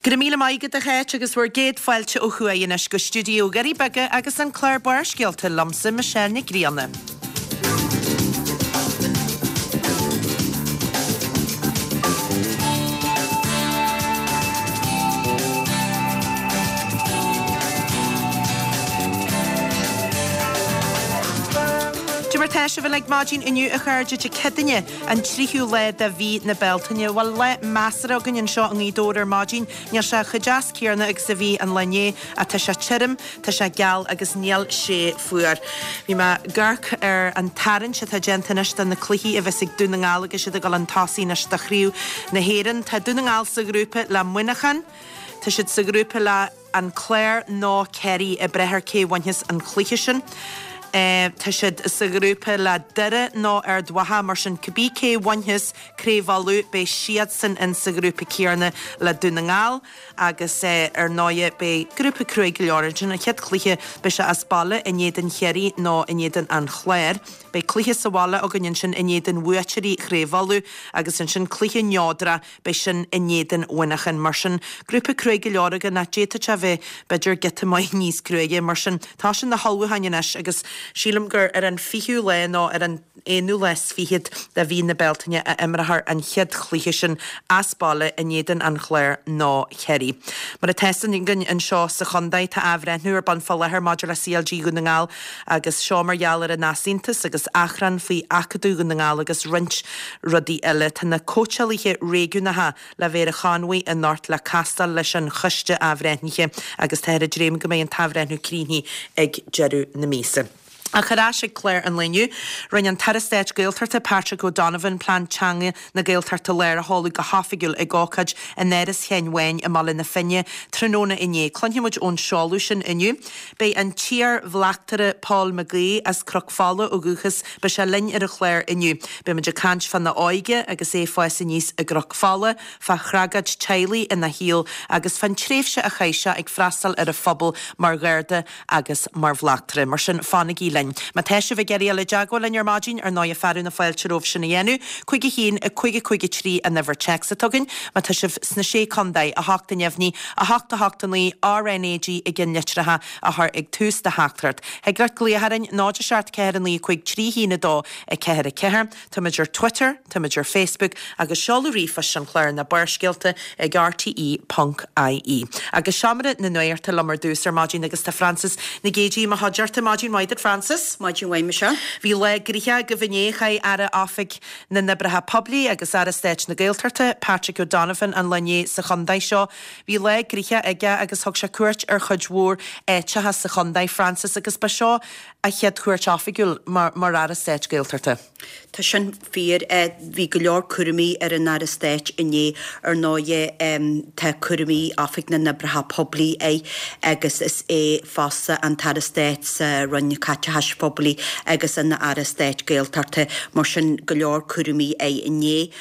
Go raibh míle maith agat a Cháit agus bhur gcéad fáilte ó thuaidh anois go stiúideo Dhoirí Beaga agus an clár Barrscéalta liomsa Michelle Nic Grianna. Cad é mar tá sibh uilig maidin inniu a chairde Dé Céadaoine An tríú lá de mhí na Bealtaine. Bhuel, lá measartha againn anseo i nGaoth Dobhair ar maidin. Níl sé chomh deas céarna agus a bhí an lá inné ach tá sé tirim, tá sé geal agus níl sé fuar. Bhí mé ag amharc ar an tarraingt atá déanta anois do na cluichí a bheas ag Dún na nGall agus iad ag dul chun tosaigh anois do Chraobh na hÉireann. Tá Dún na nGall sa ghrúpa le Muineachán. Tá siad sa ghrúpa le. An Clár nó Ciarraí ag brath ar cé bhainfeas an cluiche sin. Tá siad sa ghrúpa le Doire nó Ard Mhacha, mar sin cibé cé bhainfeas Craobh Uladh beidh siadsan in sa ghrúpa céarna le Dún na nGall agus ar ndóighe beidh grúpa cruaidh go leor ansin. An chéad chluiche beidh sé as baile in éadan Chiarraí nó in éadan an Chláir. Beidh cluiche sa bhaile againn ansin in éadan bhuaiteoirí Chraobh Uladh agus ansin cluiche neodrach Beidh sin in éadan Mhuineacháin. Mar sin, grúpa cruaidh go leor againn ach d'fhéadfadh sé a bheith, b'fhéidir, giota maith níos cruaidhe. Mar sin, tá sin na hullmhúcháin anois agus sílim gur ar an fichiú lá nó ar an aonú lá is fichead de mhí na Bealtaine a imreofar an chéad chluiche sin as baile in éadan an Chláir nó Chiarraí. Mar atá fhios againn anseo sa chontae, tá athbhreithniú ar bun fá láthair maidir le CLG Dhún na nGall agus seo mar gheall ar an easaontas agus achrann faoi Acadamh Dhún na nGall agus roinnt rudaí eile. Tá na cóitseálaithe réigiúnacha le bheith ar an Chonmhaigh anocht le castáil leis an choiste athbhreithnithe agus táthar ag dréim go mbeidh an t-athbhreithniú críochnaithe ag deireadh na míosa. Ach ar ais ag clár an lae inniu, rinne an tAire Stáit Gaeltachta Patrick O'Donovan Plean Teanga na Gaeltachta Láir a sheoladh go hoifigiúil ag ócáid in Áras Sheáin Bháin i mBaile na Finne tráthnóna inné. Cluinfidh muid ón seoladh sin inniu. Beidh an t-iar-bhleachtaire Paul McGee as Cnoc Fola ó dhúchas, beidh sé linn ar an chlár inniu. Beidh muid ag caint fána óige agus é ag fás aníos i gCnoc Fola, fá thragóid teaghlaigh ina shaol agus fán tréimhse a chaith sé ag freastal ar an phobal mar Gharda agus mar bhleachtaire. Mar sin, fanaigí linn. Má tá sibh ag iarraidh dul i dteagmháil linn ar maidin, ar ndóighe fearadh na fáilte romhaibh sin a dhéanamh. 5 1 5 5 3 an uimhir téacs atá againn. Má tá sibh sna Sé Contae, 8 a neamhní, 8 8 9, RnaG i gceannlitreacha a chur ag tús do theachtaireacht. Thig leat glaoch orainn, 0 7 4 9 5 3 1 2 4 4. Táimid ar Twitter, táimid ar Facebook agus seoladh ríomhphoist an chláir ná Barrscéalta ag rte ponc ie. Agus seomra na nuachta liom ar dtús ar maidin agus tá Frances Nic Géadaigh i mo chuideachta. Maidin mhaith duit Frances. Maidin mhaith Michelle. Bhí lá gnoitheach agaibh inné, chaith Aire Oifig na nOibreacha Poiblí agus Aire Stáit na Gaeltachta, Patrick O'Donovan an lá inné sa chontae seo. Bhí lá gnoitheach aige agus thug sé cuairt ar chuid mhór áiteacha sa chontae, Frances, agus ba seo a chéad chuairt oifigiúil mar Aire Stáit Gaeltachta. Tá sin fíor. Bhí go leor cúraimí ar an Aire Stáit inné. Ar ndóighe, tá cúraimí Oifig na nOibreacha Poiblí air agus is é fosta an tAire Stáit sa Roinn Caiteachais Phoiblí agus ina Aire Stáit Gaeltachta. Mar sin, go leor cúraimí air inné.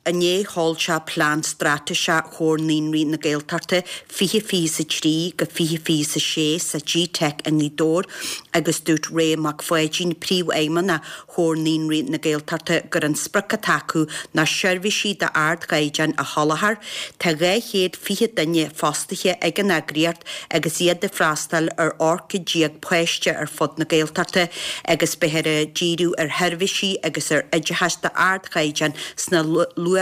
Inné sheol sé Plean Straitéiseach Chomhar Naíonraí na Gaeltachta 2023-2026 sa GTeic i nGaoth Dobhair agus dúirt Ray Mac Pháidín, Príomhfheidhmeannach Chomhar Naíonraí na Gaeltachta gur an sprioc atá acu ná seirbhísí d'ardchaighdeán a sholáthar. Tá 220 duine fostaithe ag an eagraíocht agus iad ag freastal ar 18 chéad páiste ar fud na Gaeltachta agus beifear ag díriú ar sheirbhísí agus ar oideachas d'ardchaighdeán sna luathbhlianta,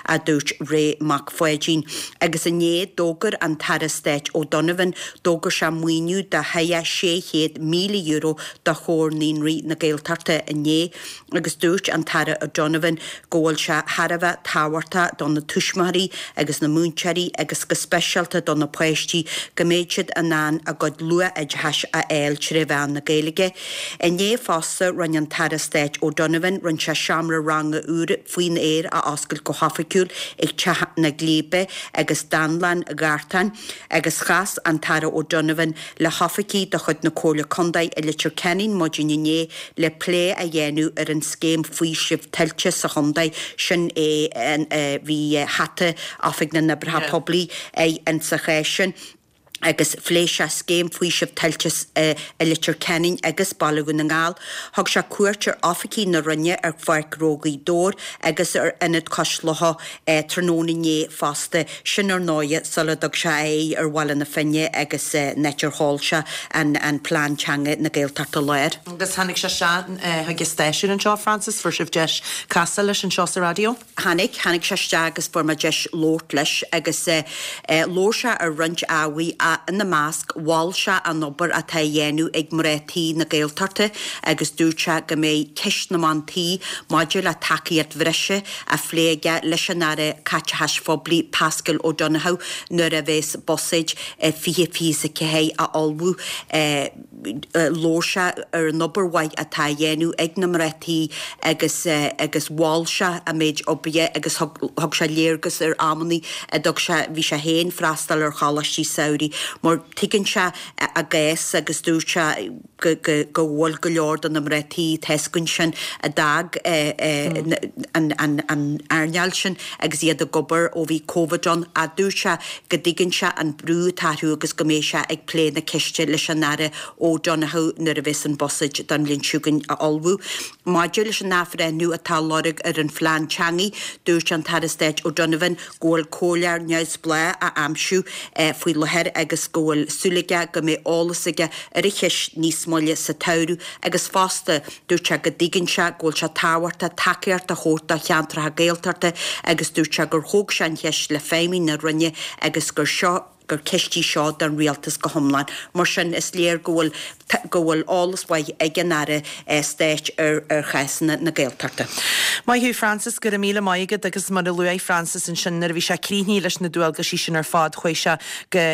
a dúirt Ray Mac Pháidín. Agus inné, d'fhógair an tAire Stáit O'Donovan, d'fhógair sé maoiniú de €600,000 do Chomhar Naíonraí na Gaeltachta inné agus dúirt an tAire O'Donovan go bhfuil sé thar a bheith tábhachtach do na tuismitheoirí agus na múinteoirí agus go speisialta do na páistí go mbeidh siad in ann a gcuid luath-oideachais a fháil tré mheán na Gaeilge. Inné fosta rinne an tAire Stáit O'Donovan rinne sé seomra ranga úr faoin aer a oscailt go hoifigiúil ag Teach na Glíbe agus Dánlann Ghartáin agus chas an tAire O'Donovan le hoifigigh de chuid na Comhairle Contae i Leitir Ceanainn maidin inné le plé a dhéanamh ar an scéim faoisimh tuilte sa chontae. Sin é bhí hata Oifig na nOibreacha Poiblí air insa chás sin. Agus phléigh sé scéim faoisimh tuilte i Leitir Ceanainn agus Baile Dhún na nGall. Thug sé cuairt ar oifigí na Roinne ar Pháirc Ghnó Ghaoth Dobhair agus ar Ionad Cois Locha tráthnóna inné fosta. Sin ar ndóighe sula dtug sé a aghaidh ar Bhaile na Finne agus an áit ar sheol sé an Plean Teanga na Gaeltachta Láir. Agus tháinig sé isteach chuig an stáisiún anseo, Frances, fuair sibh deis casadh leis anseo sa raidió? Tháinig, tháinig sé isteach agus fuair mé deis labhairt leis agus labhair sé ar roinnt ábhaí, ina measc, mhol sé an obair atá á dhéanamh ag mná tí na Gaeltachta agus dúirt sé go mbeidh ceist na mban tí maidir le tacaíocht bhreise á phlé aige leis an Aire Caiteachais Phoiblí Paschal Donohoe nuair a bheas Buiséad 2024 á ullmhú. Labhair sé ar an obair mhaith atá á dhéanamh ag na mná tí agus agus mhol sé a méid oibre agus thug thug sé léargas ar amannaí a dtug sé bhí sé féin freastal ar choláistí samhraidh mar tuigeann sé a gcás agus dúirt sé go go go bhfuil go leor de na mná tí tá 'fhios againn sin a d'fhág an an an earnáil sin agus iad ag obair ó bhí Covid ann ach dúirt sé go dtuigeann sé an brú atá orthu agus go mbeidh sé ag plé na ceiste leis an Aire O'Donoghue nuair a bheas an Buiséad don bhliain seo chugainn á ullmhú. Maidir leis an athbhreithniú atá á lorg ar an phlean teanga, dúirt an tAire Stáit O'Donovan go bhfuil comhairleoir neamhspleách á aimsiú faoi láthair agus go bhfuil súil aige go mbeidh eolas aige ar an cheist níos moille sa tsamhradh agus fosta Dúirt sé go dtuigeann sé go bhfuil sé tábhachtach tacaíocht a thabhairt do cheantracha Gaeltachta agus dúirt sé gur thóg sé an cheist le feidhmigh na Roinne agus gur seo gur ceist í seo don Rialtas go hiomlán. Mar sin, is léir go bhfuil go bhfuil eolas mhaith ag an Aire Stáit ar ar chásanna na Gaeltachta. Maith thú Frances, go raibh míle maith agat agus mar a luaigh Frances ansin nuair a bhí sé críochnaithe leis na dualgaisí sin ar fad chuaigh sé go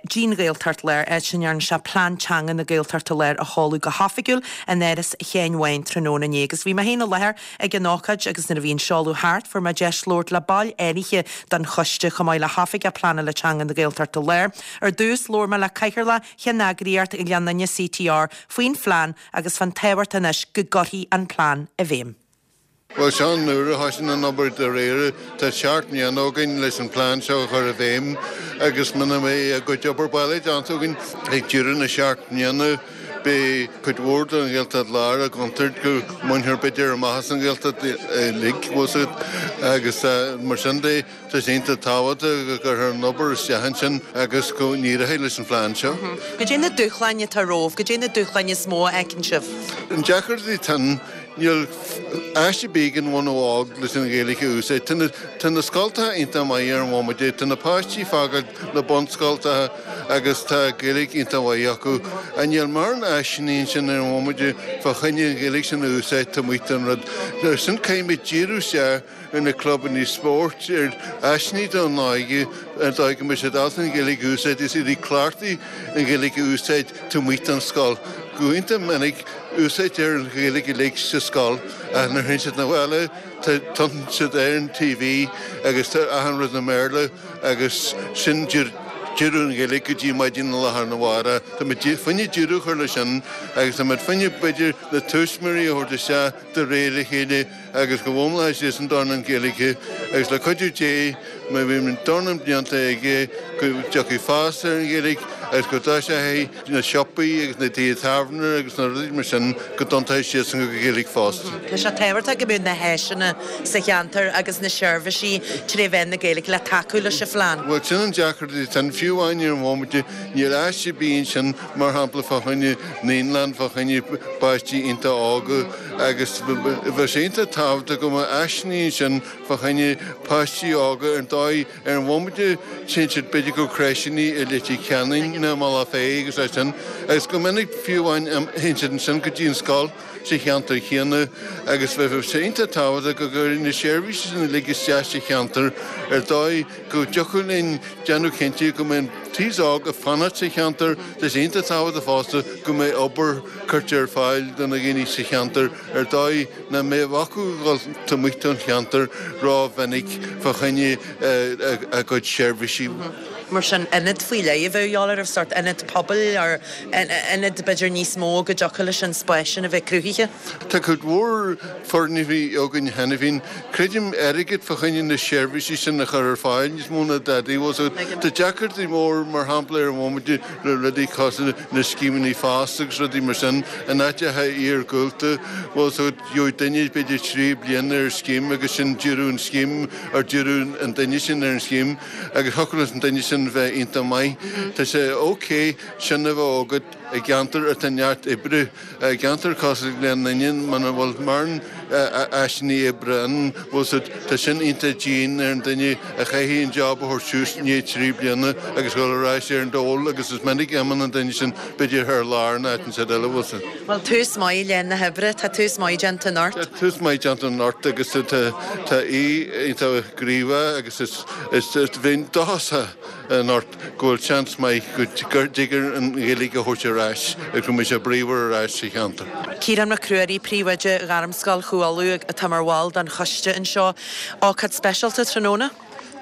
dtí'n Ghaeltacht Láir, áit a ndearna sé Plean Teanga na Gaeltachta Láir a sheoladh go hoifigiúil in Áras Sheáin Bháin tráthnóna inné agus bhí mé féin i láthair ag an ócáid agus nuair a bhí an seoladh thart fuair mé deis labhairt le baill áirithe den choiste chomh maith le hOifigeach Pleanála Teanga na Gaeltachta Láir. Ar dtús labhair mé le Cathaoirleach Cheanneagraíocht Ghleann Fhinne CTR faoin phlean agus fán tábhacht anois go gcuirfí an plean i bhfeidhm. Bhuel, seo an uair a thosaíonn an obair dáiríre. Tá seacht mbliana againn leis an bplean seo a chur i bhfeidhm agus muna mbeidh a gcuid obair baile déanta againn ag deireadh na seacht mbliana, beidh cuid mhór den Ghaeltacht Láir i gcontúirt go mbainfear b'fhéidir amach as an Ghaeltacht uilig, bhfuil 's agat, agus mar sin de. Tá sé iontach tábhachtach go gcuirfear an obair isteach ansin agus go n-éireoidh leis an phlean seo. Goidé na dúshláin atá romhaibh? Goidé na dúshláin is mó a fheiceann sibh? An deacracht atá ann, níl áis ar bith ag an bhunadh óg leis an Ghaeilge a úsáid. Tá na, tá na scoltacha iontach maith ar an bhomaite, tá na páistí ag fágáil na bunscoltacha agus tá Gaeilge iontach mhaith acu. Ach níl mórán áiseanna ansin ar an bhomaite fá choinne an Ghaeilge sin a úsáid taobh amuigh den rud. Sin caithfidh muid díriú isteach ar na clubanna spóirt, ar áiseanna don óige, ar dóigh go mbeidh siad ábalta an Ghaeilge a úsáid is iad ag cleachtadh an Ghaeilge a úsáid taobh amuigh den scoil. Go iontach minic úsáidtear an Ghaeilge uilig sa scoil ach nuair a théann siad 'na bhaile tiontaíonn siad ar an TV agus tá achan rud i mBéarla agus sin deireadh an Ghaeilge go dtí maidin lá arna mhárach. Tá muid fá choinne deireadh a chur leis sin agus tá muid fá choinne b'fhéidir na tuismitheoirí a thabhairt isteach de réir a chéile agus go bhfoghlaimeoidh siadsan dornán Gaeilge agus le cuidiú Dé má bhíonn dornán blianta aige go dtiocfaidh fás ar an Ghaeilge agus go dtoiseoidh na siopaí agus na tithe tábhairne agus na rudaí mar sin go dtiontóidh siadsan go Gaeilge fosta. Tá sé tábhachtach go mbeadh na háiseanna sa cheantar agus na seirbhísí tré mheán na Gaeilge le tacú leis an phlean. Bhuel sin an deacracht atá ann, fiú amháin ar an bhomaite níl áis ar bith ansin mar shampla fá choinne naíolann, fá choinne páistí iontach óga. Agus bheadh sé iontach tábhachtach go mbeadh áiseanna ansin fá choinne páistí óga ar ndóigh ar an bhomaite téann siad b'fhéidir go crècheanna i Leitir Ceanainn nó i mBealach Féich agus é sin agus go minic fiú amháin théann siad ansin go dtí an scoil sa cheantar chéanna agus bheadh sé iontach tábhachtach go gcuirfí na seirbhísí sin uilig isteach sa cheantar ar dóigh go dtiocfadh linn déanamh cinnte go mbeidh an t-aos óg ag fanacht sa cheantar. Tá sé iontach tábhachtach fosta go mbeidh obair curtha ar fáil do na daoine sa cheantar ar dóigh nach mbeadh acu a dhul taobh amuigh den cheantar ró-mhinic fá choinne a gcuid seirbhísí. Mar sin, ionad faoi leith a bheadh de dhíobháil oraibh, sórt ionad pobail or ionad b'fhéidir níos mó go dtiocfadh leis an spás sin a bheith cruthaithe? Tá cuid mhór foirgnimh againn cheana féin. Creidim airgead fá choinne na seirbhísí sin a chur ar fáil níos mó ná dadaí. Bhfuil 's agat, tá deacrachtaí mór mar shampla ar an bhomaite le rudaí cosúil na scéimeanna FÁS agus rudaí mar sin in áiteacha iargúlta. Bhfuil 's agat, gheobhaidh duine b'fhéidir 3 bliana ar scéim agus sin deireadh an scéim or deireadh an duine sin ar an scéim. Agus thiocfadh leis an duine sin bheith iontach maith. Tá sé ok sin a bheith agat i gceantar atá neart oibre. I gceantar cosúil le Gleann Fhinne muna bhfuil mórán áiseanna oibre ann, bhfuil 's agat, tá sin iontach dian ar an duine a chaithfidh an job a thabhairt suas i ndiaidh 3 bliana agus dhul ar ais ar an dól agus is minic a imíonn an duine sin b'fhéidir thar lear nó áit inteacht eile, bhfuil 's agat. Bhuel, tús maith le na hoibre. Tá tús maith déanta anocht. Tá tús maith déanta anocht agus tá aoi iontach gníomhach agus is bheinn dóchasach anocht go bhfuil seans maith go dtig an Ghaeilge a thabhairt ar ais agus go mbeidh sé bríomhar ar ais sa cheantar. Ciarán Mac Ruairí, Príomhoide Ghairmscoil Chú Uladh atá mar bhall den choiste anseo. Ócáid speisialta tráthnóna?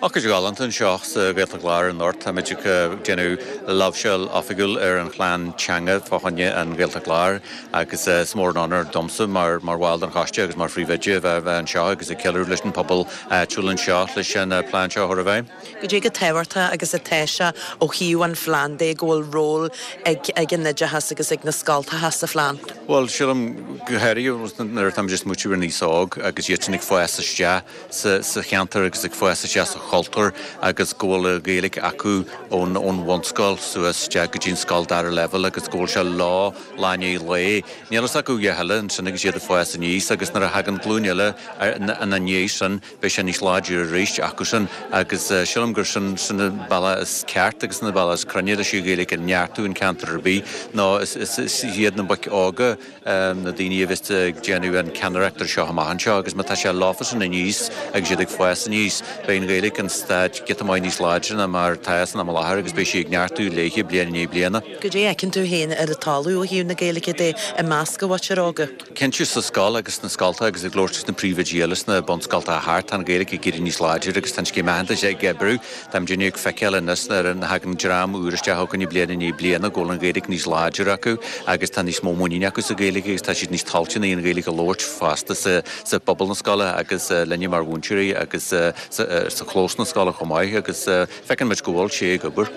Ócáid ghalánta anseo sa Ghaeltacht Láir anocht. Táimid ag déanamh láimhseáil oifigiúil ar an phlean teanga fá choinne an Ghaeltacht Láir agus is mór an onóir domsa mar bhall den choiste agus mar phríomhoide a bheith anseo agus ag ceiliúradh leis an pobal áitiúil anseo leis an plean seo a chur i bhfeidhm. Goidé chomh tábhachtach agus atá sé ó thaobh an phlean de go bhfuil ról ag ag an oideachas agus ag na scoltacha sa phlean? Bhuel, sílim go háirithe nuair atáimid ag smaoitiú ar an aos óg agus iadsan ag fás isteach sa cheantar agus ag fás isteach sa chultúr agus go bhfuil an Ghaeilge acu ón bhunscoil suas isteach go dtí an scoil dara leibhéal agus go bhfuil sé leo lá i ndiaidh lae. Níl fhios acu a dhath eile ansin agus iad ag fás aníos agus nuair a thagann glúin eile ina ndiaidh sin beidh sé níos láidre arís acusan agus sílim gur sin sin an bealach is ceart agus an bealach is cruinne leis an Ghaeilge a neartú in ceantar ar bith ná is iad na boic óga na daoine a bheas ag déanamh an ceannaireacht ar seo amach anseo agus má tá sé leofasan aníos agus iad ag fás aníos, beidh an Ghaeilge in staid giota maith níos láidre ná mar atá san am i láthair agus beidh sí ag neartú léithe bliain i ndiaidh bliana. Goidé a fheiceann tú féin ar an talamh ó thaobh na Gaeilge de i measc an mhuintir óga? Cinnte sa scoil agus sna scoltacha agus ag labhairt leis na príomhoidí eile sna bunscoltacha thart, tá an Ghaeilge ag éirí níos láidre agus tá an scéim aitheantais ag oibriú. Táimidne ag feiceáil anois nuair a thagann dream úr isteach chugainne bliain i ndiaidh bliana go bhfuil an Ghaeilge níos láidre acu agus tá níos mó muiníne acu sa Ghaeilge agus tá siad níos toilteanaí an Ghaeilge a labhairt fosta sa bpobal na scoile agus linne mar mhúinteoirí agus sa chlós na scoile chomh maith agus feiceann muid go bhfuil sé ag obair.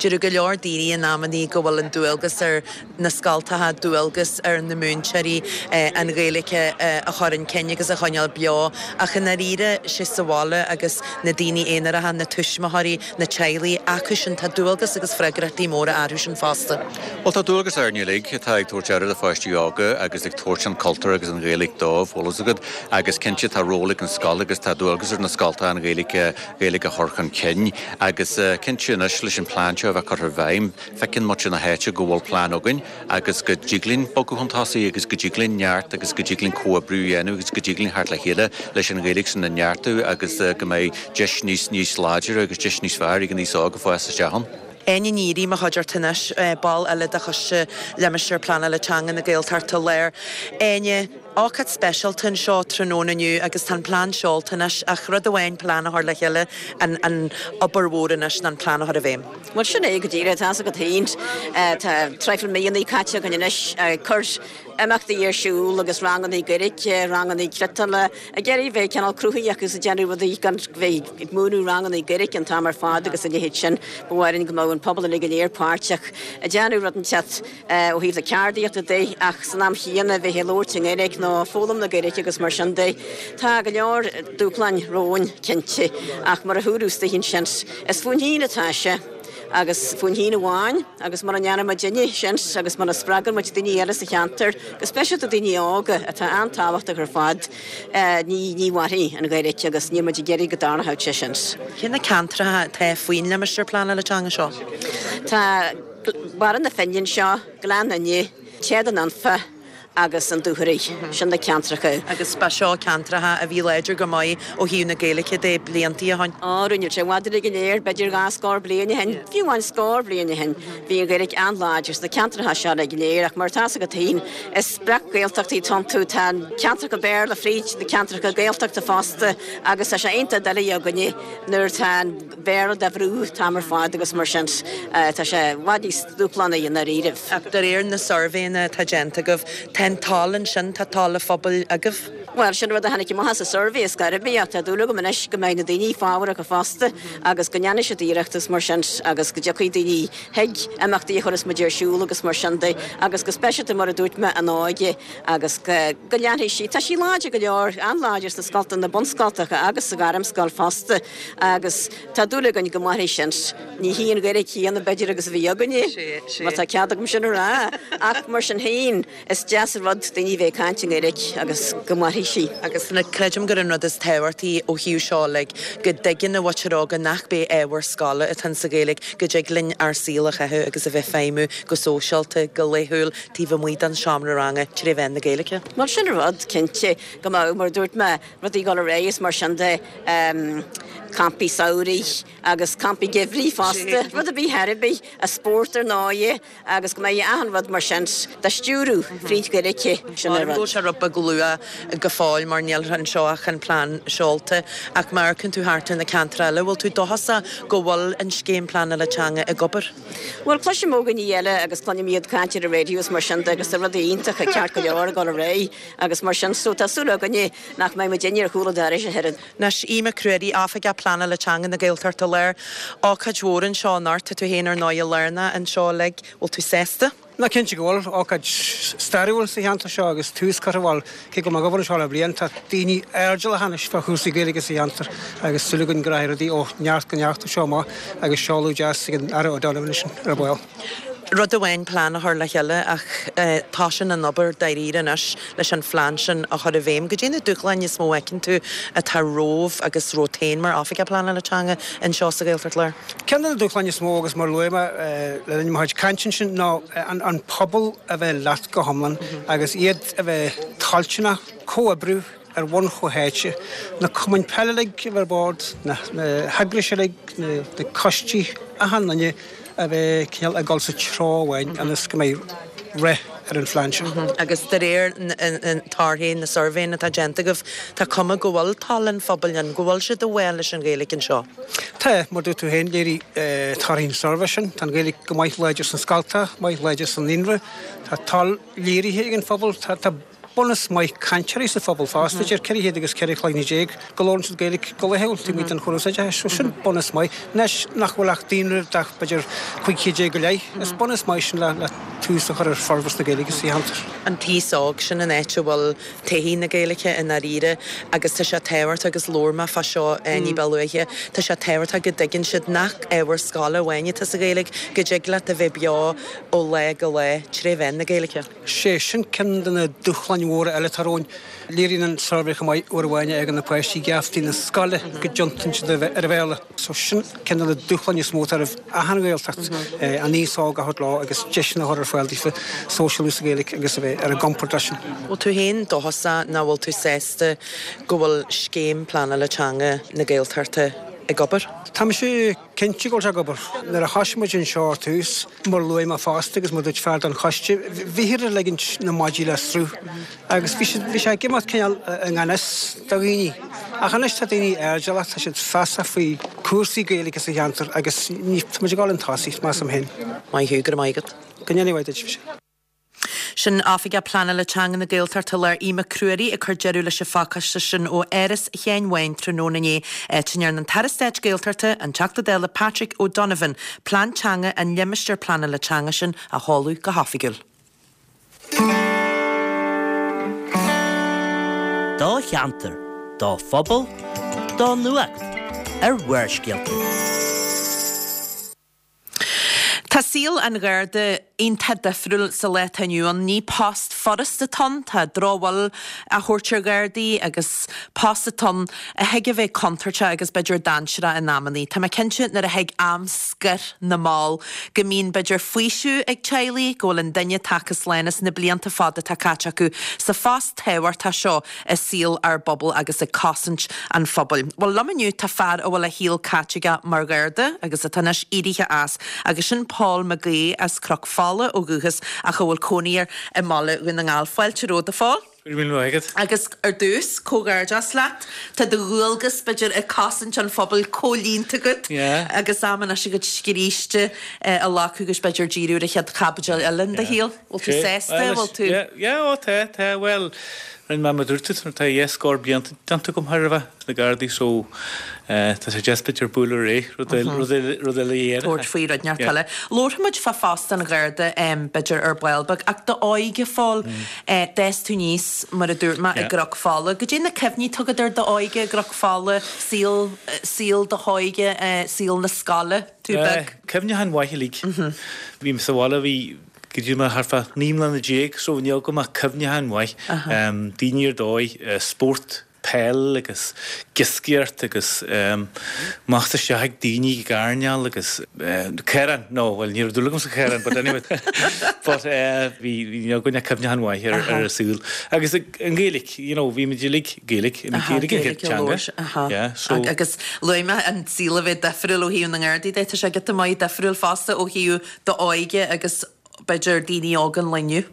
Deir go leor daoine in amannaí go bhfuil an dualgas ar na scoltacha, dualgas ar na múinteoirí an Ghaeilge a chur chun cinn agus a choinneáil beo ach i ndáiríre, sé sa bhaile agus na daoine aonaracha, na tuismitheoirí, na teaghlaigh, acu sin, tá dualgas agus freagrachtaí móra orthu sin fosta. Bhuel, tá dualgas orainn uilig atá ag tabhairt aire do pháistí óga agus ag tabhairt an cultúr agus an Ghaeilge dóibh, bhfuil fhios agat, agus cinnte tá ról ag an scoil agus tá dualgas ar na scoltacha an Ghaeilge, Ghaeilge a chur chun cinn agus cinnte anois leis an plean seo a bheith curtha i bhfeidhm, Feiceann muintir na háite go bhfuil plean againn agus go dtig linn bogadh chun tosaigh agus go dtig linn neart agus go dtig linn comhoibriú a dhéanamh agus go dtig linn theacht le chéile leis an Ghaeilge sin a neartú agus go mbeidh deis níos níos láidre agus deis níos fearr ag an aos óg ag fás isteach ann. Áine Ní Fhearraigh, mo chuideachta anois, ball eile de Choiste Limistéar Pleanála Teanga na Gaeltachta Láir. Áine, ócáid speisialta anseo tráthnóna inniu agus tá an plean seolta anois ach rud amháin plean a chur le chéile, an an obair mhór anois ná an plean a chur i bhfeidhm. Bhuel, sin é go díreach, tá's agat féin. Tá traidhfil míonna caite againn anois ag cur imeachtaí ar siúl agus ranganna Gaeilge, ranganna cniotála, ag iarraidh bheith cineál cruthaitheach agus ag déanamh rudaí gan bheith ag múineadh ranganna Gaeilge an t-am ar fad agus a leithéid sin. Ba mhaith linn go mbeadh an pobal uilig go léir páirteach ag déanamh rud inteacht ó thaobh na ceardaíochta de ach san am chéanna bheith ag labhairt i nGaeilge nó foghlaim na Gaeilge agus mar sin de. Tá go leor dúshláin romhainn cinnte ach mar a dúradh istigh ansin, Is fúinn féin atá sé, agus fúinn féin amháin, agus mura ndéanann muidinne sin agus mura spreagann muid daoine eile sa cheantar, go speisialta daoine óga, atá an-tábhachtach ar fad, ní, ní mhairfidh an Ghaeilge agus níl muid ag iarraidh go dtarlódh sé sin. Cé na ceantracha atá faoin limistéar pleanála teanga seo? Tá Barra na Finne anseo, Gleann Fhinne, Téad an Anfa. Agus an Dúchoraidh. Sin na ceantracha. Agus ba seo ceantracha a bhí láidir go maith ó thaobh na Gaeilge de bliantaí ó shoin. Á, rinne sé i bhfad uilig go léir, b'fhéidir dhá scór bliain ó shin, fiú amháin scór bliain ó shin, bhí an Ghaeilge an-láidir sna ceantracha seo uilig go léir ach mar atá 's agat féin, is breac-Ghaeltachtaí atá iontu, tá ceantracha Béarla fríd na ceantracha Gaeltachta fosta agus tá sé iontach doiligh againne nuair atá an Béarla dá bhrú an t-am ar fad agus mar sin tá sé i bhfad níos dúshlánaí i ndáiríribh. Ach de réir na suirbhéanna atá déanta agaibh, tá an toil ansin, tá toil an phobail agaibh? Bhuel, sin rud a tháinig amach as an suirbhé ar scor ar bith ach tá dúil agam anois go mbeidh na daoine fábharach fosta agus go ndéanfaidh siad iarracht agus mar sin agus go dtiocfaidh daoine chuig imeachtaí a chuireas muid ar siúl agus mar sin de agus go speisialta mar a dúirt mé an óige agus go leanfaidh sí. Tá sí láidir go leor, an-láidir sna scoltacha, na bunscoltacha agus sa ghairmscoil fosta agus tá dúil againn go mairfidh sin. Ní hí an Ghaeilge chéanna b'fhéidir agus a bhí againne, má tá cead agam sin a rá, ach mar sin féin is deas an rud daoine a bheith ag caint i nGaeilge agus go mairfidh sí. Agus creidim gur an rud is tábhachtaí ó thaobh seo uilig, go dtuigeann an mhuintir óga nach b'é ábhar scoile atá insa Ghaeilge, go dtig linn ár saol a chaitheamh agus a bheith feidhmiú go sóisialta, go laethúil, taobh amuigh den seomra ranga tré mheán na Gaeilge. Bhuel sin an rud, cinnte, go mbeadh, mar a dúirt mé, rudaí ag dul ar aghaidh is mar sin de, campaí samhraidh agus campaí geimhridh fosta, rud ar bith ar bith, an spórt ar ndóighe agus go mbeidh achan rud mar sin dá stiúradh fríd Ghaeilge, sin an rud. Bhfuil sé rud beag luath go fóill mar níl anseo ach an plean seolta ach má amharcann tú thart ar na ceantair eile, bhfuil tú dóchasach go bhfuil an scéim pleanála teanga ag obair? Bhuel, cloisim ó dhaoine eile agus cluinim iad ag caint ar an raidió is mar sin de agus tá rudaí iontacha ceart go leor ag dul ar aghaidh agus mar sin so tá súil againne nach mbeidh muidinne ar chúl an dorais a thuilleadh. Anois, Aodh Mac Ruairí, Oifigeach Pleanála Teanga na Gaeltachta Láir. Ócáid mhór anseo anocht, tá tú féin ar ndóighe lárnach anseo uilig, bhfuil tú sásta? Ná cinnte go bhfuil. Ócáid stairiúil sa cheantar seo agus tús curtha, bhuel, cé go bhfuil mé ag obair anseo le bliain, tá daoine airdeallach anois fá chúrsaí Gaeilge sa cheantar agus súil againn go rachaidh rudaí ó neart go neart ó seo amach agus seoladh deas ag an Aire O'Donovan ansin ar ball. Rud amháin plean a chur le chéile ach tosaíonn an obair dáiríre anois leis an phlean sin a chur i bhfeidhm. Goidé na dúshláin is mó a fheiceann tú atá romhaibh agus romhat féin mar Oifigeach Pleanála Teanga anseo sa Ghaeltacht Láir? Ceann de na dúshláin is mó, agus mar a luaigh mé le linn mo chuid cainte ansin, ná an pobal a bheith leat go hiomlán agus iad a bheith toilteanach comhoibriú ar bhonn chomhtháite, na cumainn peile uilig a bheith ar bord, na heagrais uilig, na coistí, achan duine a bheith cineál ag dul sa treo amháin ionas go mbeidh rath ar an phlean seo. Agus de réir na torthaí na suirbhéanna atá déanta agaibh, tá cuma go bhfuil toil an phobail ann, go bhfuil siad i bhfách leis an Ghaeilge anseo. Tá, mar dúirt tú féin, léirigh torthaí an suirbhé sin, tá an Ghaeilge go maith láidir sna scoltacha, maith láidir sa naíonra, tá toil léirithe ag an phobal, tá bunús maith cainteoirí sa phobal fosta, idir 400 agus 14 chloigne go labhrann siad Gaeilge go laethúil taobh amuigh den chóras oideachais. So sin bunús maith. Anois nach bhfuil ach daonra de b'fhéidir 15 chéad go leith, is bunús maith sin le tús a chur ar forbairt na Gaeilge sa cheantar. An t-aos óg, sin an áit a bhfuil todhchaí na Gaeilge i ndáiríre agus tá sé tábhachtach agus labhair mé fá seo ní ba luaithe, tá sé tábhachtach go dtuigeann siad nach ábhar scoile amháin atá sa Ghaeilge, go dtig leat a bheith beo ó lá go lá tré mheán na Gaeilge. Sé sin ceann de na dúshláin mhóra eile atá romhainn. Léiríonn an suirbhé chomh maith uair amháin a fhágann na páistí geaftaí na scoile go dtiontaíonn siad ar an Bhéarla. So sin ceann de na dúshláin is mó atá roimh achan Ghaeltacht, an aos óg a thabhairt leo agus deiseanna a chur ar fáil daofa sóisialú sa Ghaeilge agus a bheith ar a gcompord leis sin. Bhfuil tú féin dóchasach nó bhfuil tú sásta go bhfuil scéim pleanála teanga na Gaeltachta ag obair? Tá mise Cinnte go bhfuil sé ag obair. Nuair a thoisigh muid anseo ar tús, mar a luaigh mé fosta agus mar a dúirt fear den choiste, bhíthear ag ligint na maidí le sruth agus bhí siad, bhí sé ag imeacht cineál i ngan fhios do dhaoine. Ach anois tá daoine airdeallach, tá siad feasach faoi cúrsaí Gaeilge sa cheantar agus ní, tá muid ag dul chun tosaigh, measaim féin. Maith thú, go raibh maith agat. Go ndéana mhaith duit. Sin Oifigeach Pleanála Teanga na Gaeltachta Láir Aodh Mac Ruairí ag cur deireadh leis an phacáiste sin ó Áras Sheáin Bháin tráthnóna inné, áit a ndearna an tAire Stáit Gaeltachta, an Teachta Dála Patrick O'Donovan, plean teanga an limistéir pleanála teanga sin a sheoladh go hoifigiúil. Do cheantar, do phobal, do nuacht ar Bharrscéalta. Tá. Tá saol an Gharda iontach difriúil sa lá atá inniu ann. Ní post furasta atá ann, tá drochbhail á thabhairt ar Ghardaí agus post atá ann a thig a bheith contúirteach agus b'fhéidir dainséarach in amannaí. Tá mé cinnte nuair a thig am scoir na mball go mbíonn b'fhéidir faoiseamh ag teaghlaigh go bhfuil an duine tagtha slán as na blianta fada atá caite acu sa phost tábhachtach seo i saol ár bpobal agus ag cosaint an phobail. Bhuel, liom inniu tá fear a bhfuil a shaol caite aige mar Gharda agus atá anois éirithe as, agus sin Paul McGaugh as Cnoc Fola ó dhúchas ach a bhfuil cónaí air i mBaile Dhún na nGall. Fáilte romhat, a Phóil. Go raibh míle maith agat. Agus ar dtús, comhghairdeas leat. Tá do dhualgas, b'fhéidir, ag cosaint an phobail comhlíonta agat agus am anois agat scríste a ghlacadh agus b'fhéidir díriú ar an chéad chaibidil eile in do shaol. Bhfuil tú sásta? Bhfuil tú. Yeah, yeah, ó tá, tá, bhuel, rinne mé mar a dúirt tú, tá dhá scór blianta déanta agam chóir a bheith sna Gardaí so tá sé deas b'fhéidir bualadh ar aghaidh, rud eile, rud eile, rud eile a dhéanamh. Tabhairt faoi rud inteacht eile. Labharfaidh muid fá phost an Gharda b'fhéidir ar ball beag ach d'óige, a Phóil, d'fhás tú aníos, mar a dúirt mé, i gCnoc Fola. Goidé na cuimhní atá agat ar d'óige i gCnoc Fola, saol, saol do hóige, saol na scoile, tú beag? Cuimhneacháin mhaith uilig. Bhí mé sa bhaile, bhí, go dtí mé thart fá 19 mbliana so níl agam ach cuimhneacháin mhaith. Daoine ar dóigh, spórt, peil agus iascaireacht agus amach is isteach ag daoine ag airneál agus caorán, no, bhuel ní raibh dúil agam sa chaorán but anyway but bhí, níl againn ach cuimhneacháin mhaith ar ar an saol. Agus an Ghaeilge, you know, bhí muid uilig Gaeilge, an Ghaeilge an chéad teanga. Yeah, so. Agus luaigh mé an saol a bheith difriúil ó thaobh na nGardaí de, tá sé giota maith difriúil fosta ó thaobh d'óige agus b'fhéidir daoine óga an lae inniu.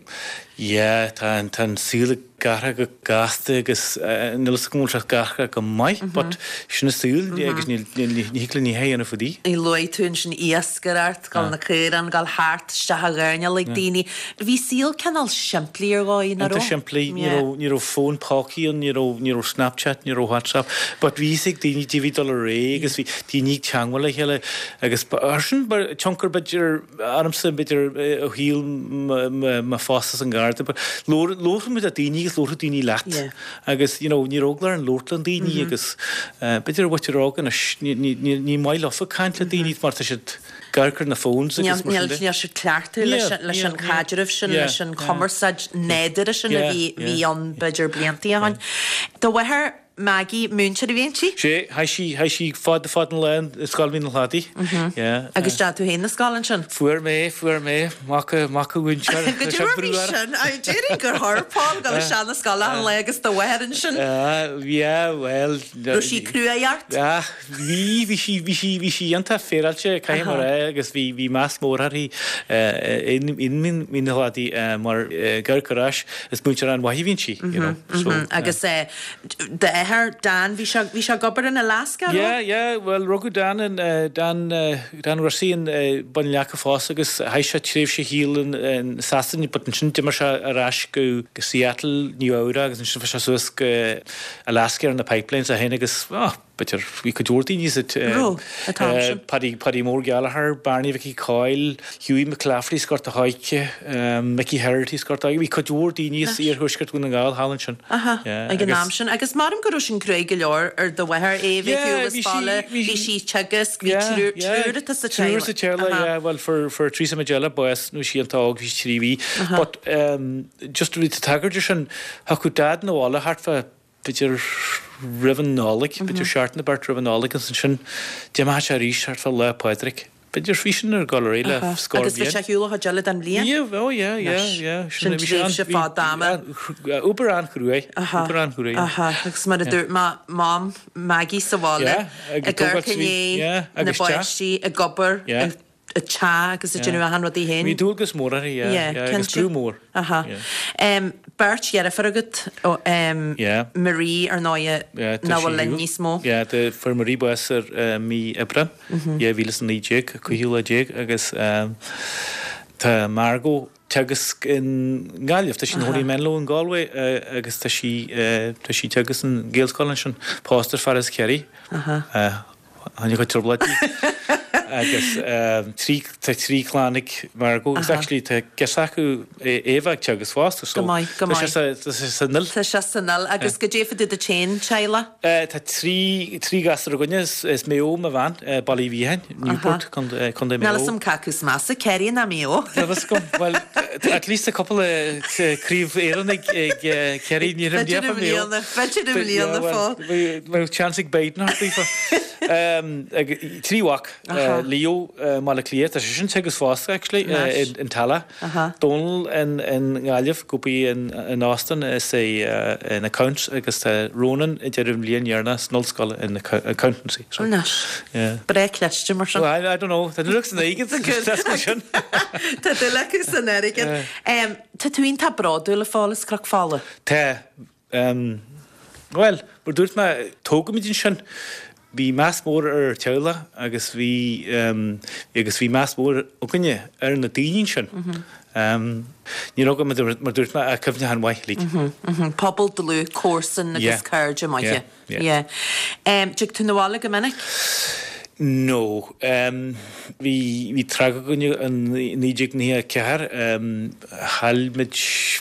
Yeah, tá an, tá an saol ag athrú go gasta agus níl fhios agam an bhfuil sé ag athrú go maith but sin an saol agus níl, níl, ní thig linn a dhath a dhéanamh fá dtaobh. Luaigh tú ansin iascaireacht, dul na caoráin, dul thart isteach ag airneál ag daoine. Bhí saol cineál simplí ar dhóigh, nach raibh? Iontach simplí, ní raibh, ní raibh fón pócaí ann, ní raibh, ní raibh Snapchat, ní raibh WhatsApp but bhí fhios ag daoine caidé a bhí ag dul ar aghaidh agus bhí daoine ag teangmháil le chéile Agus sin tionchar b'fhéidir ormsa b'fhéidir ó shaol mo phost as an Gharda but labhródh muid le daoine agus labhródh daoine leat agus you know ní raibh eagla orainn labhairt le daoine agus b'fhéidir an mhuintir óg anois ní maith leofa caint le daoine mar tá siad ag amharc ar na phones agus mar sin de. Níl siad cleachtaithe leis an chaidreamh sin, leis an chumarsáid nádúrtha sin a bhí ann b'fhéidir blianta ó shin. Do mháthair Maggie, múinteoir a bhí inti? Sea, chaith sí, chaith sí fada fada an lá i Scoil Mhín an Chladaigh. Yeah. Agus d'fhág tú féin na scoil ansin? Fuair mé, fuair mé, mac, mac a mhúinteoir. Go dtí mar bhí sin, déarfainn gur chuir Paul dul isteach na scoile an lá agus do mháthair ansin. Yeah, well. Raibh sí cruaidh ort? Ah, bhí, bhí sí, bhí sí, bhí sí iontach féaráilte, caithfidh mé a rá, agus bhí, bhí meas mór uirthi in, in Mín an Chladaigh mar, ag amharc ar ais, is múinteoir an-mhaith a bhí inti, you know, so. Agus D'athair, Dan, bhí sé, bhí sé ag obair in Alaska, an raibh? Yeah, yeah, bhuel rugadh Dan in, Dan, Dan Russi in Bun an Leaca fosta agus chaith sé tréimhse a shaoil in, in Sasana but ansin d'imigh sé ar ais go, go Seattle, Nua Eabhrac agus ansin fuair sé suas go Alaska ar na pipelines é féin agus, oh, B'fhéidir, bhí cuid mhór daoine sa Raibh, an t-am sin. Paddy, Paddy Mór Gallagher, Barney Mhicí Coyle, Hughie McClafferty as Gort a' Choirce, Mickey Herity as Gort a' Choirce, bhí cuid mhór daoine as iarthuaisceart Dhún na nGall thall ansin. Aha, ag an am sin. Agus measaim go raibh sin cruaidh go leor ar do mháthair, é a bheith ar shiúl as baile, bhí sí ag teagasc, bhí triúr, triúr ata sa teaghlach. Triúr sa teaghlach, yeah, bhuel fuair, fuair Teresa Majella bás nuair a bhí sí iontach óg, bhí sí 3 mhí. But just bhí tagairt ar sin, thiocfadh Dad 'na bhaile thart fá b'fhéidir roimh an Nollaig, b'fhéidir seachtain nó beirt roimh an Nollaig agus ansin d'imeodh sé arís thart fá Lá Pádraig. B'fhéidir bhí sin ag dul ar aghaidh le scór bliain. Agus bhí sé ar shiúl an chuid eile den bhliain? Yeah, oh yeah, yeah, yeah. Sin tréimhse fada ama. Obair an-chruaidh, obair an-chruaidh. Aha, agus mar a dúirt mé, Mam Maggie sa bhaile, ag amharc i ndiaidh na bpáistí, ag obair, ag teach agus ag déanamh achan rud í féin. Bhí dualgas mór uirthi, yeah, yeah, agus brú mór. Aha. Beirt dheirfiúr agat, Marie ar ndóighe nach bhfuil linn níos mó. Yeah, fuair Marie bás ar mí Aibreán 2019, 15ú lá agus tá Margot teagasc i nGaillimh, tá sí ina cónaí i Menlo in Galway agus tá sí tá sí teagasc in Gaelscoil ansin, pósta ar fear as Ciarraí. Tháinig a chuid trioblóidí. Agus trí, tá trí chlann ag Margot agus actually tá girseach acu, Eva ag teagasc fosta so Go maith, go tá sé maith. sa, tá sé san fhuil. Tá sé san fhuil. Agus goidé fá dtaobh duit féin, teaghlach? Tá trí, trí ghasúr againne, is as Maigh Eo mo bhean, Baile Uí Mhiacháin, Newport, Contae, Contae Maigh Níl Eo. 'fhios a'm cé acu is measa, Ciarraí ná Maigh Eo. Níl 'fhios agam, bhuel, at least tá cúpla craobh Éireann ag, ag Ciarraí, ní raibh B'fhéidir i Maigh Eo. mbliana, b'fhéidir i mbliana, Phól. Bheadh chance ag Biden thart daofa. Trí mhac, Leo i mBaile Átha Cliath, tá sé sin ag teagasc fosta actually, in Tallaght. Dónal i nGaillimh, ag obair in Austin is é in accounts agus tá Ronan ag déanamh an bhliain dheireanach san ollscoil in accountancy. Anois. Breá cliste mar sin. Well, I don't know. Tá dúil acu san airgead. Tá dúil acu san airgead. Tá tú iontach bródúil a Phóil as Cnoc Fola. Tá. Bhuel, mar dúirt mé, tógadh muid ansin. Bhí meas mór ar ár teaghlach agus bhí, agus bhí meas mór againne ar na daoine ansin. Ní raibh agam, mar dúirt mé, ach cuimhneachán mhaith, like. Pobal dlúth, comharsan agus cairde maithe. Yeah. Dtig tú 'na bhaile go minic? No. Bhí, bhí tragóid againne in 1994. Chaill muid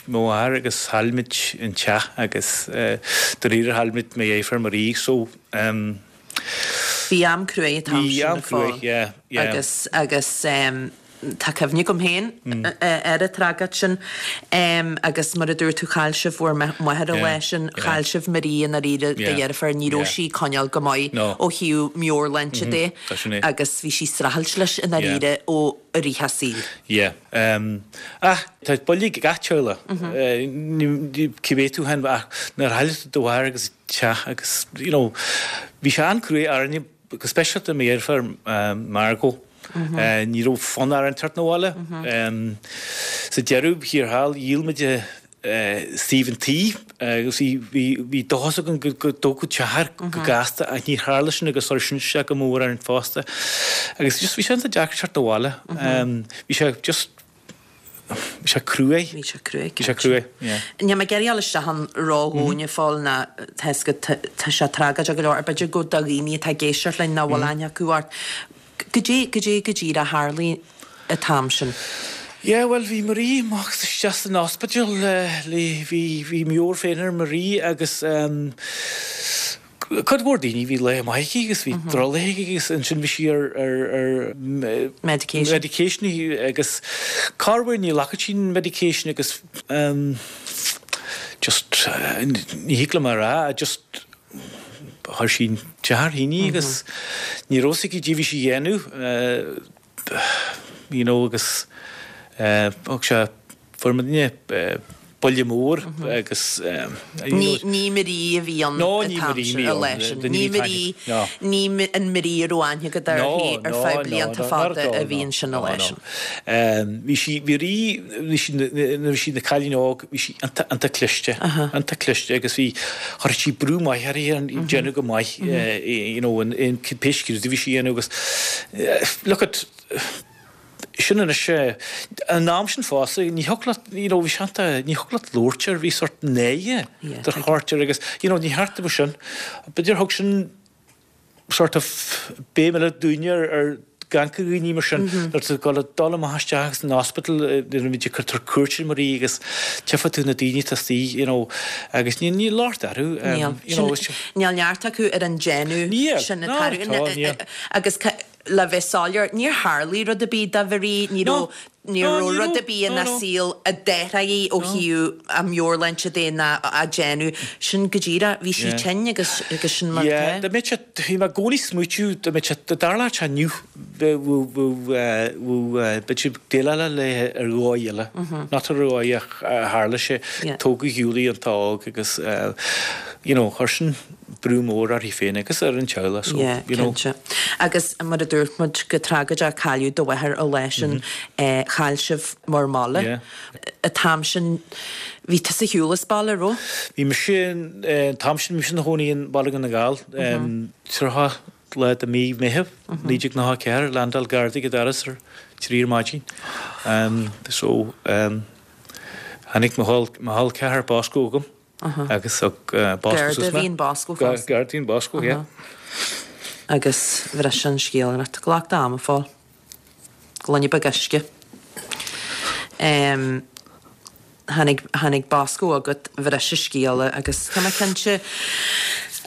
mo mháthair agus chaill muid an teach agus dáiríre chaill muid mo dheirfiúr Marie so. Bhí am cruaidh an t-am Bhí sin am a Phóil. cruaidh, yeah, yeah. Agus, agus. Tá cuimhne agam féin ar an tragóid sin agus mar a dúirt tú chaill sibh bhur máthair an lá sin, chaill sibh Marie i ndáiríre do dheirfiúr, ní raibh sí ag coinneáil go maith ó thaobh meabhairshláinte de agus bhí sí ag streachailt leis i ndáiríre ó i rith a saoil. Yeah. Ach tá buille ag gach teaghlach, cibé tú féin ach nuair a chailleann tú do mháthair agus teach agus you know bhí sé an-cruaidh orainne go speisialta mo dheirfiúr Margot. Ní raibh fonn orainn teacht 'na bhaile. Sa deireadh thiar thall, dhíol muid suíomh an tí agus bhí dóchas againn go dtógfadh teach air go gasta ach níor tharla sin agus chuir sin isteach go mór orainn fosta. Agus just bhí sé iontach deacair teacht 'na bhaile. Bhí sé just Bhí sé cruaidh. Bhí sé cruaidh, Bhí sé cruaidh, yeah. Níl mé ag iarraidh dul isteach ann ródhomhain a Phóil ná tá 'fhios agat tá sé tragóideach go leor, b'fhéidir go do dhaoine atá ag éisteacht linn nach bhfuil aithne acu ort. Goidé, goidé go díreach a tharlaigh an t-am sin? Yeah, bhuel bhí Marie amach is isteach san ospidéal le, bhí, bhí meabhair féin ar Marie agus ehm, Cuid mhór daoine, bhí lá maith aici agus bhí drochlá aici agus ansin bhí sí ar ar Medication. medication agus corruair ní ghlacfadh sí an medication agus just ní thig liom a rá just chuir sí an teach ar thine agus ní raibh fhios aici caidé bhí sí a dhéanamh you know agus thug sé fuair muidne buille mór agus Ní ní Marie a bhí ann No, an ní t-am Marie sin, a bhí an lá ann. sin. Duine Ní a bhí Marie, No. ní an Marie a raibh aithne agat uirthi No, ar no, feadh no, blianta no, not fada at all, a bhí no. ansin an No, lá no. sin. Bhí sí, bhí Marie, bhí sí, nuair a bhí sí ina cailín óg, bhí sí iontach, iontach cliste, iontach cliste agus bhí, chuir sí brú maith uirthi ar déanamh go maith, you know, in, in pé scrúdú a bhí sí a dhéanamh agus look at, sin anois é. An am sin fosta, ní thiocfadh leat, you know, bhí sé iontach, ní thiocfadh leat labhairt air, bhí sort náire do thabhairt air agus, you know, ní cheart do sin. B'fhéidir thug sin sort of béim eile dúinne ar, ar gach dhaoine mar sin, nuair atá tú ag dul amach isteach san hospital, nuair a bhí ag tabhairt cuairt ar Marie agus tchífeá tú na daoine atá istigh, you know, agus ní, níl locht orthu, you know, Níl neart acu ar an déanamh sin Níl, not at all, níl. Agus Le bheith soiléir, níor tharlaigh rud ar bith do Mharie, ní raibh, ní raibh rud ar bith ina saol a d'athraigh í ó thaobh a meabhairshláinte de ná a déanamh. Sin go díreach, bhí sí tinn agus, agus sin mar Yeah, atá. dá mbeadh sé, bhí mé i gcónaí ag smaoitiú, dá mbeadh sé, dá dtarlódh sé inniu, bheadh, bheadh, bheadh, b'fhéidir déileáil léi ar dhóigh eile, not ar dhóigh a tharla sé, tógadh Julie iontach óg agus, you know, chuir sin, brú mór uirthi féin agus ar an teaghlach so, Yeah, you know. cinnte. Agus mar a dúirt muid, go tragóideach cailleadh do mháthair an lá sin, chaill sibh bhur mbaile. Yeah. An t-am sin, bhí tusa ar shiúl as baile, raibh? Bhí mise, an t-am sin, bhí mise ina chónaí i mBaile Dhún na nGall, 30 lá de mí Meitheamh, 1994, landáil Gardaí ag an doras ar 3 ar maidin. So, tháinig mo chol ceathar Bosco chugam. Agus thug Bosco Garda suas a mé. bhí in Bosco fosta. Garda a bhí in Bosco, yeah. Agus bhris an scéal ort. Glac d'am, a Phóil. Gloine beag uisce. Tháinig, tháinig bosca agat, bhris an scéal agus tá mé cinnte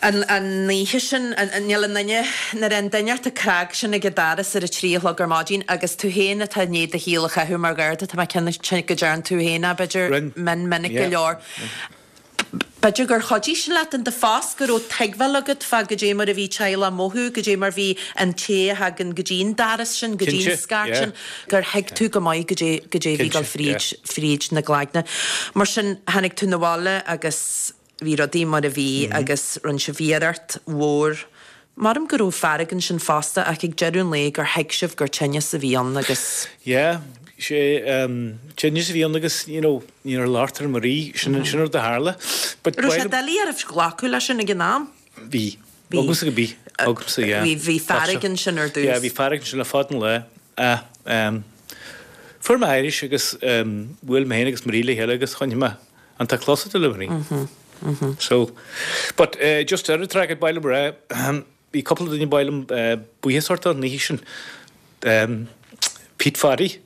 an, an oíche sin, níl aon duine, nuair an duine ort ag cnag sin ag an doras ar a 3 a chlog ar maidin agus tú féin atá i ndiaidh do shaol a chaitheamh mar gharda, tá mé cinnte go dtearn tú féin é, b'fhéidir, mion minic go leor. B'fhéidir gur chuidigh sin leat in do phost, go raibh tuigbheáil agat fá goidé mar a bhí teaghlach ag mothú, goidé mar bhí an té a thagann go dtí an doras sin, go dtí an scairt sin, gur thuig tú go maith goidé, goidé a bhí ag dul fríd, fríd na gcloigne. Mar sin, tháinig tú 'na bhaile agus bhí rudaí mar a bhí agus rinne sibh iarracht mhór Maram go raibh fearg ansin fosta ach ag deireadh an lae gur thuig sibh gur tinneas a bhí ann agus. Yeah, sé tinneas a bhí ann agus you know níor labhair ar Marie, sin an sin rud a tharla. But Raibh sé doiligh oraibh glacadh leis sin ag an am? Bhí. Bhí. Agamsa go bhí. Agamsa, yeah. Bhí, bhí fearg ansin ar dtús. Yeah, bhí fearg ansin le fada an lá. Ah, um, fuair mé arís agus um, bhuail mé féin agus Marie le chéile agus choinnigh mé An tá cloisteáil le Marie. So, but just ar an track ba mhaith liom a rá, bhí cúpla duine ba mhaith liom buíochas a thabhairt dó an oíche sin. Pete Phaddy.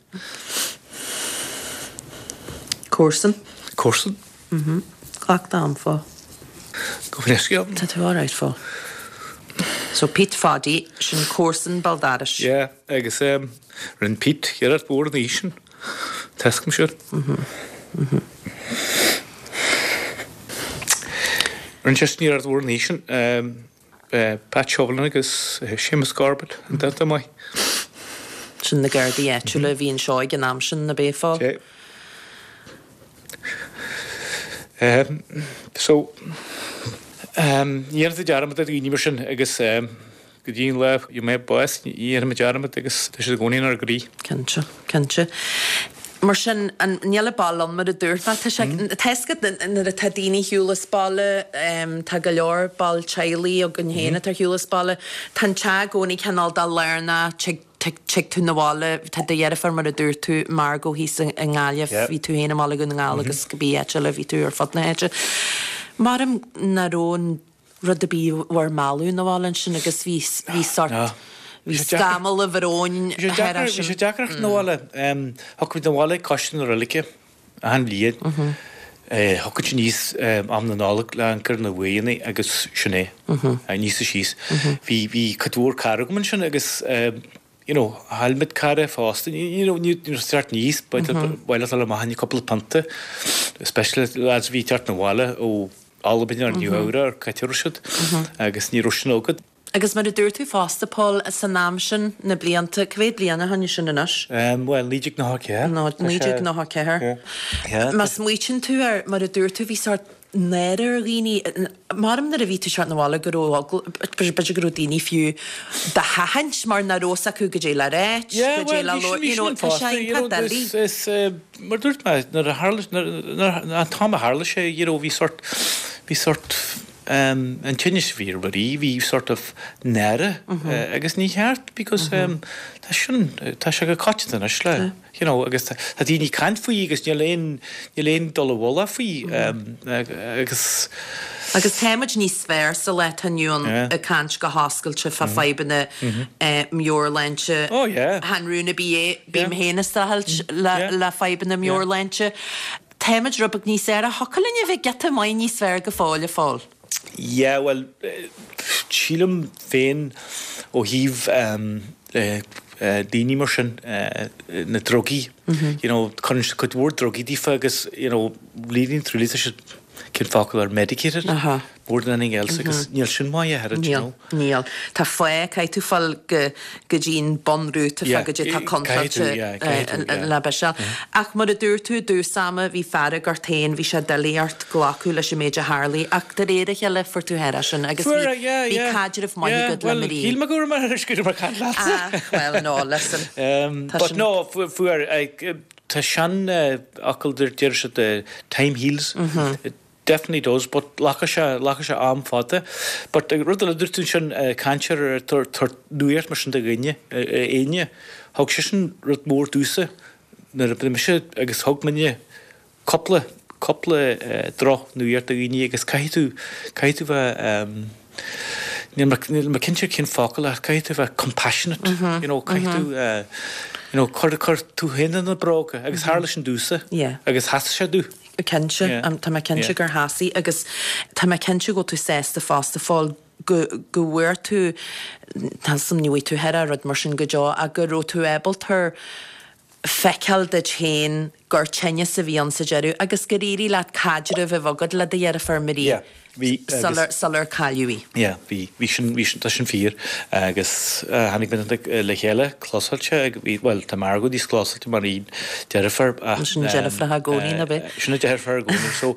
Comharsan. Comharsan. Glac d'am, Phóil. Gabh mo leithscéal. Tá tú alright, Phóil. So Pete Phaddy, sin comharsan béal dorais. Yeah, agus rinne Pete iarracht mhór an oíche sin. Tá a fhios agam sin. Rinne sé iarracht mhór an oíche sin. Pat Shovelin agus Séamus Corbett an danta maith. Sin na Gardaí áitiúla a bhí anseo ag an am sin, ab é, a Phóil? So, ní dhéanfaidh tú dearmad ar dhaoine mar sin agus Go dtí an lá a gheobhaidh mé bás, ní dhéanfaidh mé dearmad agus tá siad i gcónaí inár gcroí. Cinnte, cinnte. Mar sin, an, níl an baile ann mar a dúirt mé. Tá sé, tá a fhios agat nuair atá daoine ar shiúl as baile, tá go leor ball teaghlaigh againn féin atá ar shiúl as baile, tá an teach i gcónaí cineál de lárnach, tig, tig, tig tú 'na bhaile, tá do dheirfiúr mar a dúirt tú, Margot thíos i nGaillimh, bhí tú féin i mBaile Dhún na nGall agus cibé áit eile, bhí tú ar fud na háite. Maram nach raibh an. rud ar bith bhur mealladh 'na bhaile ansin agus bhí bhí sort bhí scamall an bhróin thar Bhí sé deacair 'na bhaile. Thiocfadh muid 'na bhaile ag coiste na roilige achan bhliain. Thiocfadh muid aníos am na Nollag le amharc ar na uaigheanna agus sin é. Aníos is síos. Bhí bhí cuid mhór cara agam ansin agus you know, chaill muid cara fosta, you know, ní raibh teacht aníos, ba mhaith leat dul amach i gcúpla pionta, especially lads a bhí ag teacht 'na bhaile ó Albain or Nua Eabhrac or cá háit a raibh siad agus ní raibh sin agat. Agus mar a dúirt tú fosta, Paul, san am sin, na blianta, cá mhéad bliain ó shin é sin anois? Bhuel, 1994. 1994. Má smaoitíonn tú air, mar a dúirt tú, bhí sórt náire ar dhaoine. Maram nuair a bhí tú ag teacht 'na bhaile go raibh eagla, b'fhéidir go raibh daoine fiú do sheachaint mar nach raibh fhios acu goidé le ráit, goidé le labhairt, you know, tá sé iontach doiligh. Is, mar a dúirt mé, nuair a tharla, nuair, an t-am a tharla sé, you know, bhí sort, bhí sort, an tinneas a bhí ar Mharie, bhí sort of náire agus ní cheart because tá sin, tá sé go coitianta anois le. you know agus tá daoine ag caint faoi agus níl aon, níl aon dul i bhfolach faoi agus. Agus tá muid níos fearr sa lá atá inniu ann ag caint go hoscailte fá fadhbanna meabhairshláinte. Oh yeah. Chan rún ar bith é, bím féin ag streachailt le fadhbanna meabhairshláinte. Tá muid rud beag níos fearr ach thiocfadh linn a bheith giota maith níos fearr go fóill, a Phóil. Yeah, bhuel, sílim féin ó thaobh daoine mar sin, na drugaí, you know, cuireann siad cuid mhór drugaí daofa agus, you know, really and truly tá siad, cén focal air, medicated, more than anything else agus níl sin maith a oiread, you know. Níl. Tá fáth, caithfidh tú fáil go go dtí an bunrúta fá goidé tá contráilte le biseáil. Ach mar a dúirt tú i dtús ama, bhí fearg ort féin, bhí sé doiligh ort glacadh leis an méid a tharlaigh ach de réir a chéile fuair tú thar sin agus bhí bhí caidreamh maith agat le Marie. Shíl mé go raibh mé ar go raibh mé ag caint leatsa. Ah, well no, listen. Tá But no, fuair, tá seanfhocal deir siad time heals. Definitely does, but ghlac sé, ghlac sé am fada. But rud eile a dúirt tú ansin, cainteoir ag tabhairt nuaíocht mar sin do dhuine, éinne, thug sé sin rud mór domhsa nuair a bhí mise agus thug muidne cúpla, cúpla droch nuaíocht do dhaoine agus caithfidh tú, caithfidh tú bheith. Níl mé, níl mé cinnte cén focal ach caithfidh tú bheith compassionate, you know, caithfidh tú, you know, cur, cur tú féin ina bróga agus tharla sin domhsa agus sheasaigh sé domh. Cinnte, tá mé cinnte gur sheasaigh agus tá mé cinnte go bhfuil tú sásta fosta fáil go, go bhfuair tú, tá 'fhios a'm ní bhfaighidh tú aire rud mar sin go deo ach go raibh tú ábalta feiceáil duit féin gur tinneas a bhí ann sa deireadh agus gur éirigh leat caidreamh a bheith agat le do dheirfiúr Marie Yeah, bhí agus. sular, sular cailleadh í. Yeah, bhí, bhí sin, bhí sin, tá sin fíor agus tháinig muid le chéile clósáilte ag, bhí, bhuel, tá Margot níos clósáilte mar aon deirfiúr ach. Sin deirfiúracha i gcónaí, nó b'é? Sin an deirfiúr i gcónaí so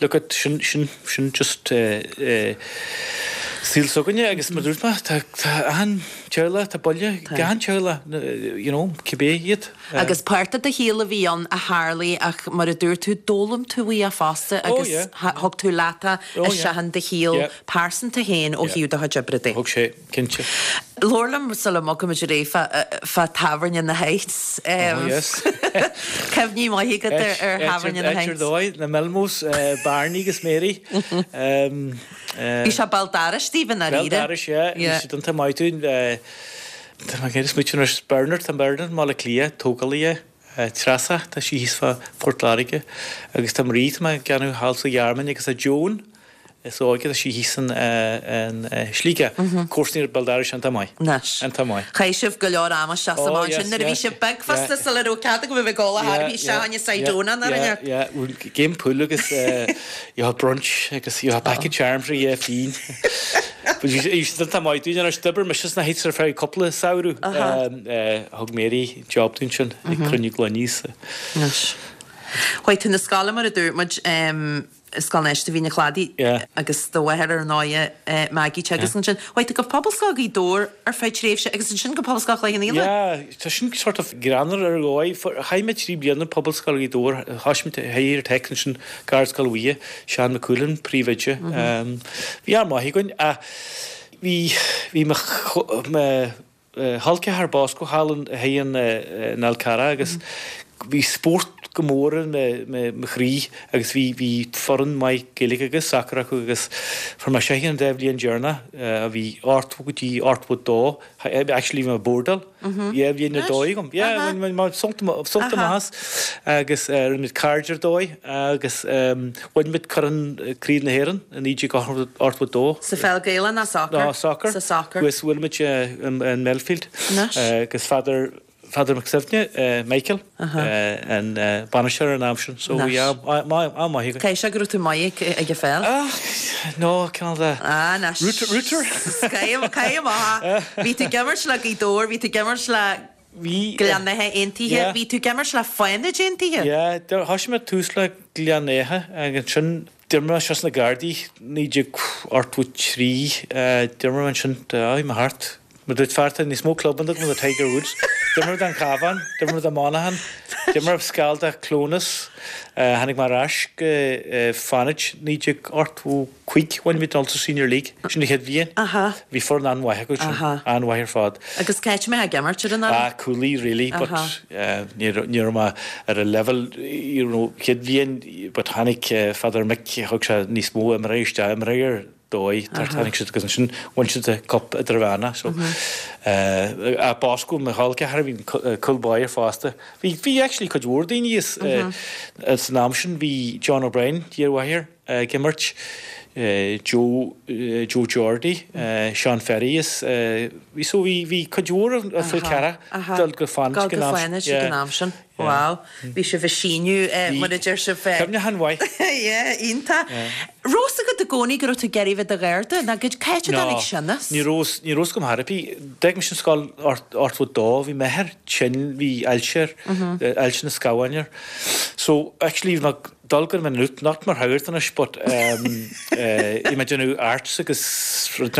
look at, sin, sin, sin just saol s'againne agus mar a dúirt mé, tá, tá achan teaghlach, tá buille ag achan teaghlach, you know, cibé iad. Agus páirt de do shaol a bhí ann a tharlaigh ach mar a dúirt tú, d'fhoghlaim tú uaidh fosta agus thug tú leat é isteach in do shaol pearsanta féin ó thaobh do chuid oibre de. Thug sé, cinnte. Labhair liom sula mbogfaimid ar aghaidh fá Tábhairne na Heights. Oh yes. Cuimhní maithe agat ar Thábhairne na Heights. Áit ar dóigh, na Melmos, Barney agus Mary. Bhí sé béal dorais daoibh i ndáiríre. Béal dorais, yeah. Bhí siad iontach maith dúinn. Tá mé ag iarraidh smaoitiú anois, Bernard, tá Bernard i mBaile Átha Cliath, tógálaí é, Treasa, tá sí thíos fá Phort Láirge, agus tá Marie, tá mé ag déanamh thall sa Ghearmáin, agus tá Joan, is óige, tá sí thíos in Sligeach. Comharsanaí ar béal dorais iontach maith. Anois. Iontach maith. Chaith sibh go leor ama isteach sa Oh mbán yes, sin nuair a bhí yeah. sibh beag fosta Yeah. sula raibh cead agaibh a bheith ag ól a Yeah, thairbhí isteach yeah, in Side yeah, Dónán ar an yeah, neart. yeah. Bhuel, game pool agus you have brunch agus you have packet charms ar dhé féin. But bhí siad iontach maith dúinn anois. D'oibir mise sna Heights ar feadh cúpla samhradh. Thug Mary job dúinn sin ag cruinniú gloiní sa. Anois. Chuaigh tú 'na scoile mar a dúirt muid, Scoil Náisiúnta Mhín an Chladaigh agus do mháthair ar ndóighe Maggie teagasc ansin. Chuaigh tú go Pobalscoil Ghaoth Dobhair ar feadh tréimhse agus ansin go Pobalscoil Chloich Cheann Fhaola. Yeah, tá sin sort of greannmhar ar dhóigh. Chaith mé 3 bliana i Pobalscoil Ghaoth Dobhair, thosaigh mé Higher Tech ansin Garscoil Mhuire, Seán Mac Cúilin, príomhoide. Bhí am maith againn ach bhí, bhí mo, mo chol ceathar Bosco thall in, thiar in, in Fhál Carrach agus bhí spórt go mór i mo chroí agus bhí, bhí foireann maith Gaeilge agus sacar acu agus fuair mé seisean an dá bhliain deireanach, bhí 80 go dtí 82, actually bhí mé ag bordáil. Yeah, bhí ar dóigh agam. Yeah, bhain mé sult amach as agus rinne muid cairde ar dóigh agus bhain muid Corn Craobh na hÉireann i 1982. Sa pheil Gaelach ná soccer? Ná soccer. Sa soccer. Agus bhuail muid in Melfield agus Father Father Mac Suibhne, Michael, an bainisteoir an am sin. So bhí am maith againn. Caithfidh sé go raibh tú maith ag an pheil? Ah, no, cineál de. Ah, anois. Rooter? Caith amach. Bhí tú ag imirt le Gaoth Dobhair, bhí tú ag imirt le Gleann Átha Aontaithe, bhí tú ag imirt le Fánaid Aontaithe? Yeah, thosaigh mé tús le Gleann Átha agus ansin d'imir mé isteach sna Gardaí 1983, d'imir mé ansin, bhí mé thart Mar dúirt fear tá níos mó clubanna agam ná Tiger Woods. D'imir mé don Chabhán, d'imir mé do Monaghan, d'imir mé seal do Cleonas, tháinig mé ar ais go Fánaid 1985, bhain muid an Ulster Senior League, sin an chéad bhliain. Bhí foireann an-mhaith acu sin, an-mhaith ar fad. Agus cá háit a mbeifeá ag imirt ar an fhoireann? Ah, cúlaí really, but ní raibh mé ar an level, you know, chéad bhliain, but tháinig Father Mick, thug sé níos mó imreoirí isteach, imreoir dóigh, tháinig siad agus ansin bhain siad an cup idirmheánach so eh Bosco mo chol ceathar bhí cúl báire fosta. Bhí bhí actually cuid mhór daoine as san am sin bhí John O'Brien iarmháthair ag imirt, Joe Joe Jordy, Sean Ferry is bhí so bhí bhí cuid mhór as Fál Carrach dul go Fánaid ag an am sin. Wow. Bhí sibh ag síneadh mar a deir sibh. Cuimhneachán mhaith. Yeah, iontach. Raibh fhios agat i gcónaí go raibh tú ag iarraidh bheith i do gharda nó cá háit a dtáinig sin as? Ní raibh, ní raibh fhios agam chor ar bith. D'fhág mise an scoil 82, bhí m'athair tinn, bhí ailse air, ailse na scamháin air. So, actually bhí mé ag dul go Maynooth, not mar shagart anois, but bhí mé ag déanamh arts agus rud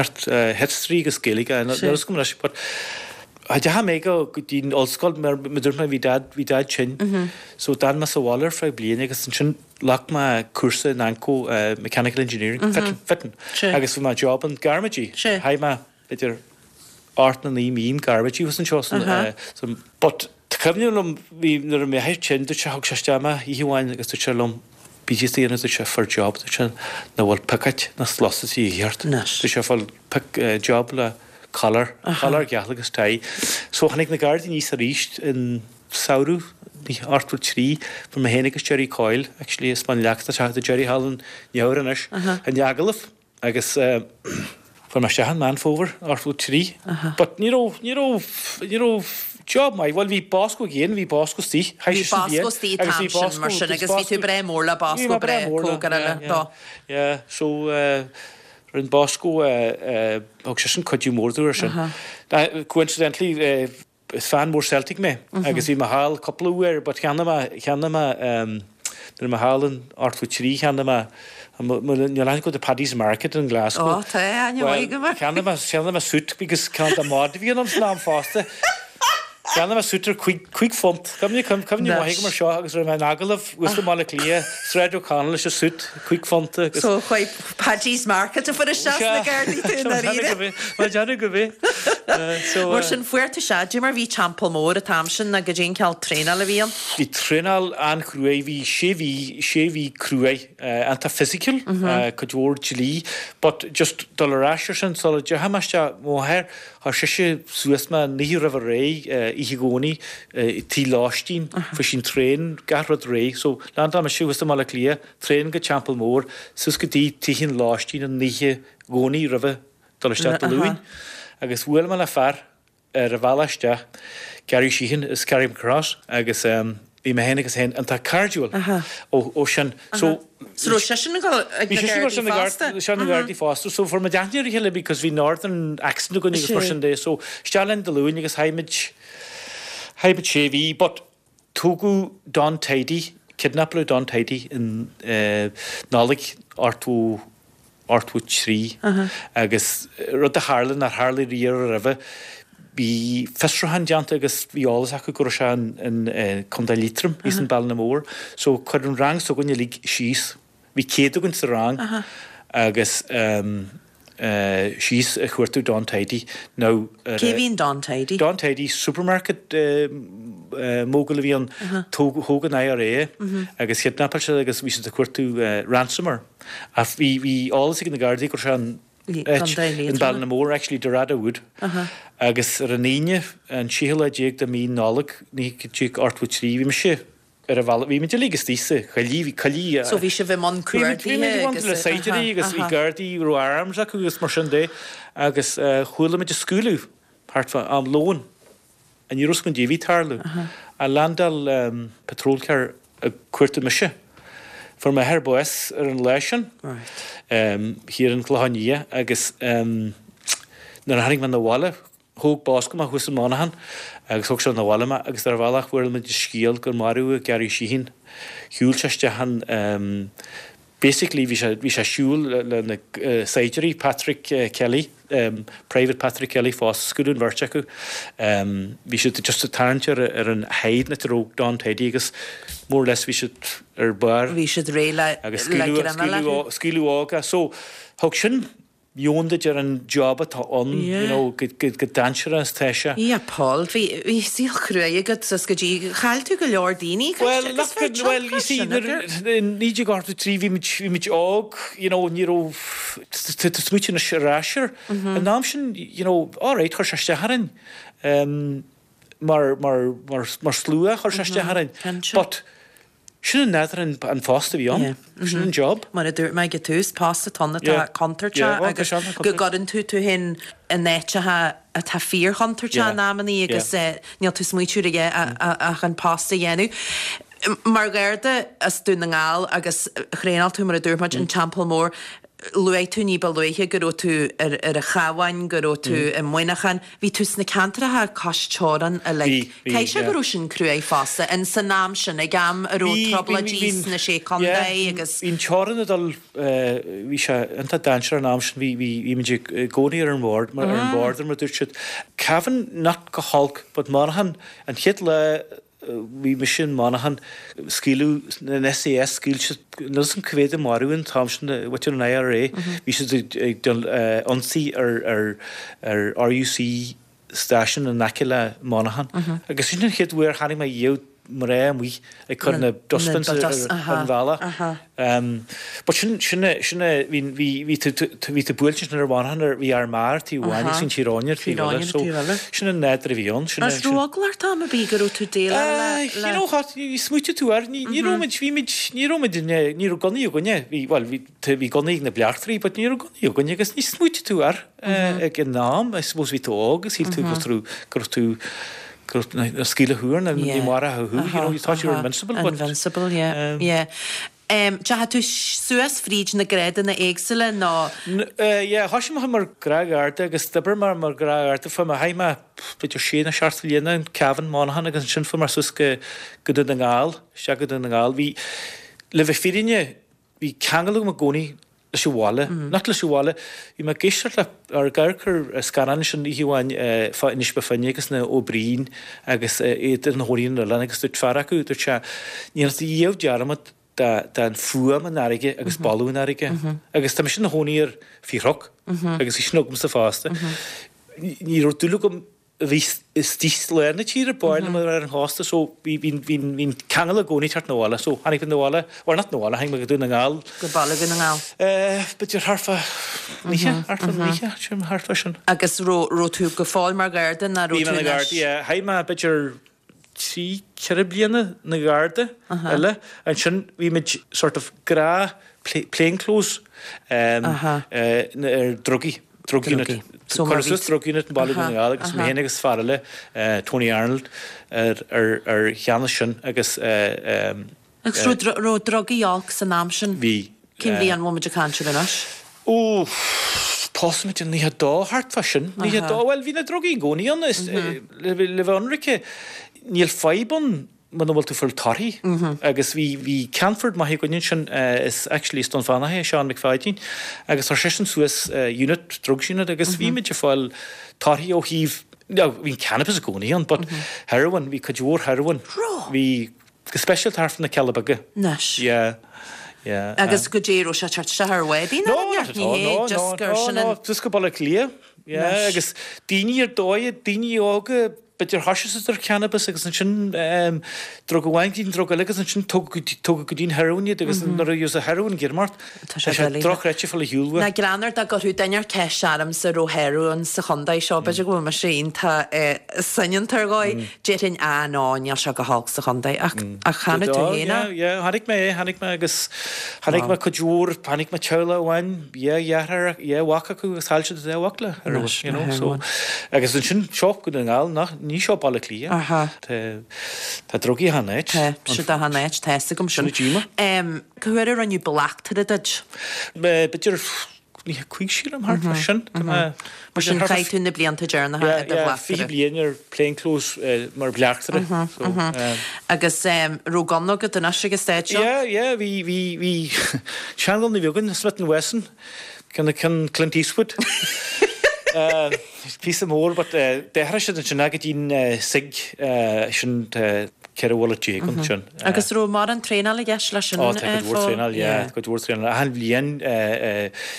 history agus Gaeilge, níl fhios agam anois, but Cha dteachaigh mé go dtí an ollscoil mar mar dúirt mé bhí dad bhí dad tinn. So d'fhan mé sa bhaile ar feadh bliain agus ansin ghlac mé cúrsa in Anco Mechanical Engineering, fitting, fitting. Agus bhí mé job in Garmaidí. Chaith mé idir 8 nó 9 mí in Garmaidí thuas anseo san san but tá cuimhne liom bhí nuair a bhí m'athair tinn dúirt sé thug sé isteach mé oíche amháin agus dúirt sé liom bí díot a dhéanamh dúirt sé fuair job dúirt sé nach bhfuil piocait ná sluasaidí a dhíth ort. Dúirt sé fuil. pick job le collar, collar geal agus tie. So tháinig na Gardaí aníos arís in samhradh 83, fuair mé féin agus Gerry Coyle, actually as Baile Leac, tá Gerry thall in Eabhar anois, an agallamh agus fuair mé isteach in Meán Fómhair 83. But ní raibh, ní raibh, ní raibh job maith, bhuel bhí Bosco again, bhí Bosco istigh, Bhí Bosco istigh an t-am sin mar sin agus bhí tú breá mór le Bosco, breá cóngarach dó. Yeah, so Rinne Bosco, thug seisean cuidiú mór domh ar sin. Coincidentally, is fan mór Celtic mé agus bhí mé thall cúpla uair but cheannaigh mé, cheannaigh mé, nuair a bhí mé thall in 83 cheannaigh mé, níl aithne agat ar Paddy's Market in Glasgow. Ó tá, aithne mhaith agam air. Cheannaigh mé, cheannaigh mé suit because ceann de mod a bhí ionam san am fosta. Cheannaigh mé suit ar £5. Cuimhne, cuimhne mhaith agam ar seo agus raibh mé in agallamh thuas i mBaile Átha Cliath, Sráid O'Connell leis an suit, £5 agus. So chuaigh Paddy's Market a fuair isteach sna Gardaí tú i ndáiríre. Má déanadh go bith. So. Mar sin fuair tú isteach, cad é mar bhí Teampall Mór an t-am sin nó goidé an cineál traenáil a bhí ann? Bhí traenáil an-chruaidh, bhí sé mhí, sé mhí cruaidh, iontach physical, cuid mhór dlí, but just dul ar ais ar sin sula dteachaigh mé isteach, mo mháthair, Chuir sise suas mé an oíche roimh ré, oíche Dhomhnaigh, tigh lóistín, fuair sí an traein, gach rud réidh. So, landáil mise thuas i mBaile Átha Cliath, traein go Teampall Mór, suas go dtí tigh an lóistín an oíche Dhomhnaigh roimhe dul isteach Dé Luain. Agus bhuail mé le fear ar an bhealach isteach, Gary Sheehan as Carrickmacross, agus bhí mé féin agus é iontach cairdiúil ó sin. So, So raibh seisean ag dul ag na Gardaí fosta? Bhí seisean na Gardaí fosta. So fuair muid aithne ar a chéile because bhí Northern accent againn agus mar sin de. So isteach linn Dé Luain agus chaith muid, chaith muid sé mhí but tógadh Don Tidey, kidnapáladh Don Tidey in Nollaig 80, 83 agus rud a tharla nár tharla riamh roimhe, bhí fiosrúchán déanta agus bhí eolas acu go raibh sé in Contae Liatroim, thíos in Ballinamore. So chuir an rang s'againn uilig síos, bhí 100 againn sa rang agus síos ag cuartú Don Tidey. Now Cé bhí in Don Tidey? Don Tidey, supermarket mogul a bhí ann, thóg an IRA é agus chidnapáil siad agus bhí siad ag cuartú ransom air. Ach bhí, bhí eolas ag na Gardaí go raibh sé in áit in Ballinamore, actually Dorado Wood. Agus ar an Aoine, an séú lá déag de mhí Nollag, 1983, bhí mise ar an bhealach, bhí muid uilig istigh sa choillidh, bhí coillidh, So bhí sibh i mbun cuardaithe agus. Bhí muid i mbun le saighdiúirí agus bhí Gardaí, raibh arms acu agus mar sin de. Agus chuala muid ag scaoileadh thart fá am lóin. Ní raibh 'fhios againn goidé a bhí ag tarlú. A landáil patrol car ag cuartú mise. Fuair m'athair bás ar an lá sin thiar in Clochán Liath agus nuair a tháinig mé 'na bhaile, thóg Bosco mé thuas i Monaghan agus thóg sé 'na bhaile mé agus ar an bhealach fuair muid an scéal gur maraíodh Gary Sheehan. Shiúil sé isteach an Basically bhí sé, bhí sé ag siúl le na saighdiúirí, Patrick Kelly, Private Patrick Kelly fosta, scaoileadh an bheirt acu. Bhí siad just ag tarraingt ar ar an hide an áit a raibh Don Tidey agus more or less bhí siad ar barr. Bhí siad réidh le agus scaoileadh, scaoileadh, scaoileadh óg é. So thug sin meon duit ar an job atá ann, you know, go dainséarach is atá sé. Yeah, Paul, bhí, bhí saol cruaidh agat is go dtí, chaill tú go leor daoine, Well, agus bhí well, you see, nuair, in 1983 bhí muid, bhí muid óg, you know, ní raibh, tá tú ag smaoitiú anois ar ais air. An am sin, you know, alright, chuir sé isteach orainn, mar, mar, mar, mar slua chuir sé isteach orainn, but, Sin an nádúr an phost a bhí ann. Sin an job. Mar a dúirt mé ag an tús, post atá ann atá contúirteach agus go gcuireann tú tú féin in áiteacha atá fíorchontúirteach in amannaí agus níl tú ag smaoitiú ar a dhath ach an post a dhéanamh. Mar Gharda as Dún na nGall agus thraenáil tú mar a dúirt muid in Teampall Mór, luaigh tú ní ba luaithe go raibh tú ar an Chabhán, go raibh tú i Muineachán. Bhí tú sna ceantracha cois teorann uilig. Bhí, bhí, Caithfidh sé yeah. go raibh sin cruaidh fosta, in san am sin, ag am a raibh Bhí, bhí, trioblóidí bhí, sna Sé yeah, Contae agus. bhí an teorainn ag dul, bhí sé iontach dainséarach an am sin, bhí, bhí, bhí muid i gcónaí ar an bhord, ar an border mar a dúirt siad. Cavan, not go holc, but Monaghan, an chéad lá Bhí mise in Monaghan, scaoileadh an SAS, scaoil siad, níl 'fhios a'm cá mhéad a maraíodh an t-am sin, mhuintir an IRA, bhí siad ag déanamh ionsaí ar ar RUC stáisiún in aice le Monaghan. Agus sin an chéad uair a chonaic mé riamh. mná amuigh ag cur na dustbins ar an bhealach. But sin, sin, sin, bhí, bhí, bhí tú, bhí tú buailte ansin ar an mhonarchan ar, bhí Ard Mhacha ar taobh amháin agus bhí an Tír Eoghain ar taobh eile. So, sin an nádúr a bhí ann. Sin, Is raibh eagla ort am ar bith go raibh tú déileáil le, le. You know what, ní smaoitigh tú air, ní, ní raibh muid, bhí muid, ní raibh muid, ní raibh gunnaí againne, bhí, bhuel, bhí, bhí gunnaí ag na bleachtairí but ní raibh gunnaí againne agus ní smaoitigh tú air ag an am, I suppose bhí tú óg agus shíl tú go raibh, go raibh tú, go raibh na scaoileadh thú ar na, ní mairfeadh thú, you know, you thought you were invincible but. Invincible, yeah, yeah. Deachaigh tú suas fríd na grádanna éagsúla nó? Yeah, thoisigh mé mar ghnáthgharda agus d'oibir mé mar ghnáthgharda fuair mé, chaith mé b'fhéidir sé nó seacht mbliana in Cavan, Monaghan agus ansin fuair mé suas go, go Dún na nGall, isteach go Dún na nGall. Bhí, le bheith fírinne, bhí ceangal agam i gcónaí leis an bhaile, not leis an bhaile, bhí mé ag éisteacht le, ar ag amharc ar scannán ansin oíche amháin fá Inis Bó Finne agus na Ó Briain agus iad ina gcónaí ar an oileán agus dúirt fear acu, dúirt sé, ní dhéanfadh tú riamh dearmad den fuaim an fharraige agus boladh an fharraige. Agus tá mise ina chónaí ar Fiathróc agus bhí sin agamsa fosta. Ní raibh dúil agam a bhí istigh i lár na tíre, b'fhearr liom a bheith ar an chósta so bhí bhí bhí bhí an ceangal i gcónaí teacht 'na bhaile so tháinig mé 'na bhaile, well not 'na bhaile, tháinig mé go Dún na nGall. Go baile Dhún na nGall. Eh, b'fhéidir thart fá naocha, thart fá naocha, sin thart fá sin. Agus raibh raibh tú go fóill mar gharda nó raibh Bhí tú mé ina anois? gharda, yeah, chaith mé b'fhéidir trí, ceithre bliana ina gharda eile, ansin bhí muid sort of gnáth plainclothes eh ar drugaí. Drug Unit. Cuireadh suas Drug Unit i mBaile Dhún na nGall agus mé féin agus fear eile, Tony Arnold, ar cheannas sin agus. Agus raibh drugaí olc san am sin? Bhí. Cén bhliain a bhfuil muid ag caint air anois? Ó, thosaigh muid i 92, thart fá sin. 92, bhuel bhí na drugaí i gcónaí ann, le bheith ionraice, níl fadhb ann muna bhfuil tú ag fáil torthaí agus bhí bhí ceannfort maith againn ansin is actually is Dún Fánach é Seán McPhaidín agus chuir seisean suas unit, drugs unit agus bhí muid ag fáil torthaí ó thaobh now bhí an cannabis i gcónaí ann but heroin, bhí cuid mhór heroin, bhí go speisialta thart fá na Cealla Beaga. Anois. Yeah, yeah. Agus goidé raibh sé ag teacht isteach ar bhádaí nó No, not at all, no, no, no, no, just go Baile Átha Cliath, yeah, agus daoine ar dóigh, daoine óga, B'fhéidir thoisigh siad ar cannabis agus ansin drug amháin go dtí an drug eile agus ansin tógadh go dtí an heroin iad agus nuair a bhíos an heroin ag imeacht tá sé dochreidte fáil ar shiúl uait. Nach greannmhar dá gcuirfeadh duine ceist ormsa raibh heroin sa chontae seo, b'fhéidir go bhfuil mise iontach soineanta ar dhóigh, déarfainn ah no, níl sé go holc sa chontae ach ach chonaic tú féin é. Yeah, yeah, chonaic mé é, chonaic mé agus chonaic mé cuid mhór, chonaic mé teaghlach amháin, dhá dheartháir, dhá mhac acu agus chaill siad an dá mhac le heroin, you know, so agus ansin seo Dún na nGall, nach, ní seo Baile Átha Cliath. Aha. Tá, tá drugaí achan áit. Tá, siad achan áit, tá fhios agam sin. Sin an díoma. Cá huair a rinneadh bleachtaire duit? B'fhéidir 95 sílim, thart fá sin. Tá mé, Mar sin chaith tú na blianta deireanacha i do bhleachtaire. Yeah, 20 bliain ar plainclothes mar bhleachtaire. So, Agus raibh gunna agat anois ag an staid seo? Yeah, yeah, bhí, bhí, bhí seanghunna a bhí againn, Smith and Wesson, ceann, ceann Clint Eastwood. Píosa mór but d'athraigh siad ansin é go dtí an Sig sin 14 bhullet ansin. Agus raibh mórán traenáil i gceist leis sin? Ó tá cuid mhór traenáil, yeah, cuid mhór traenáil. Achan bhliain,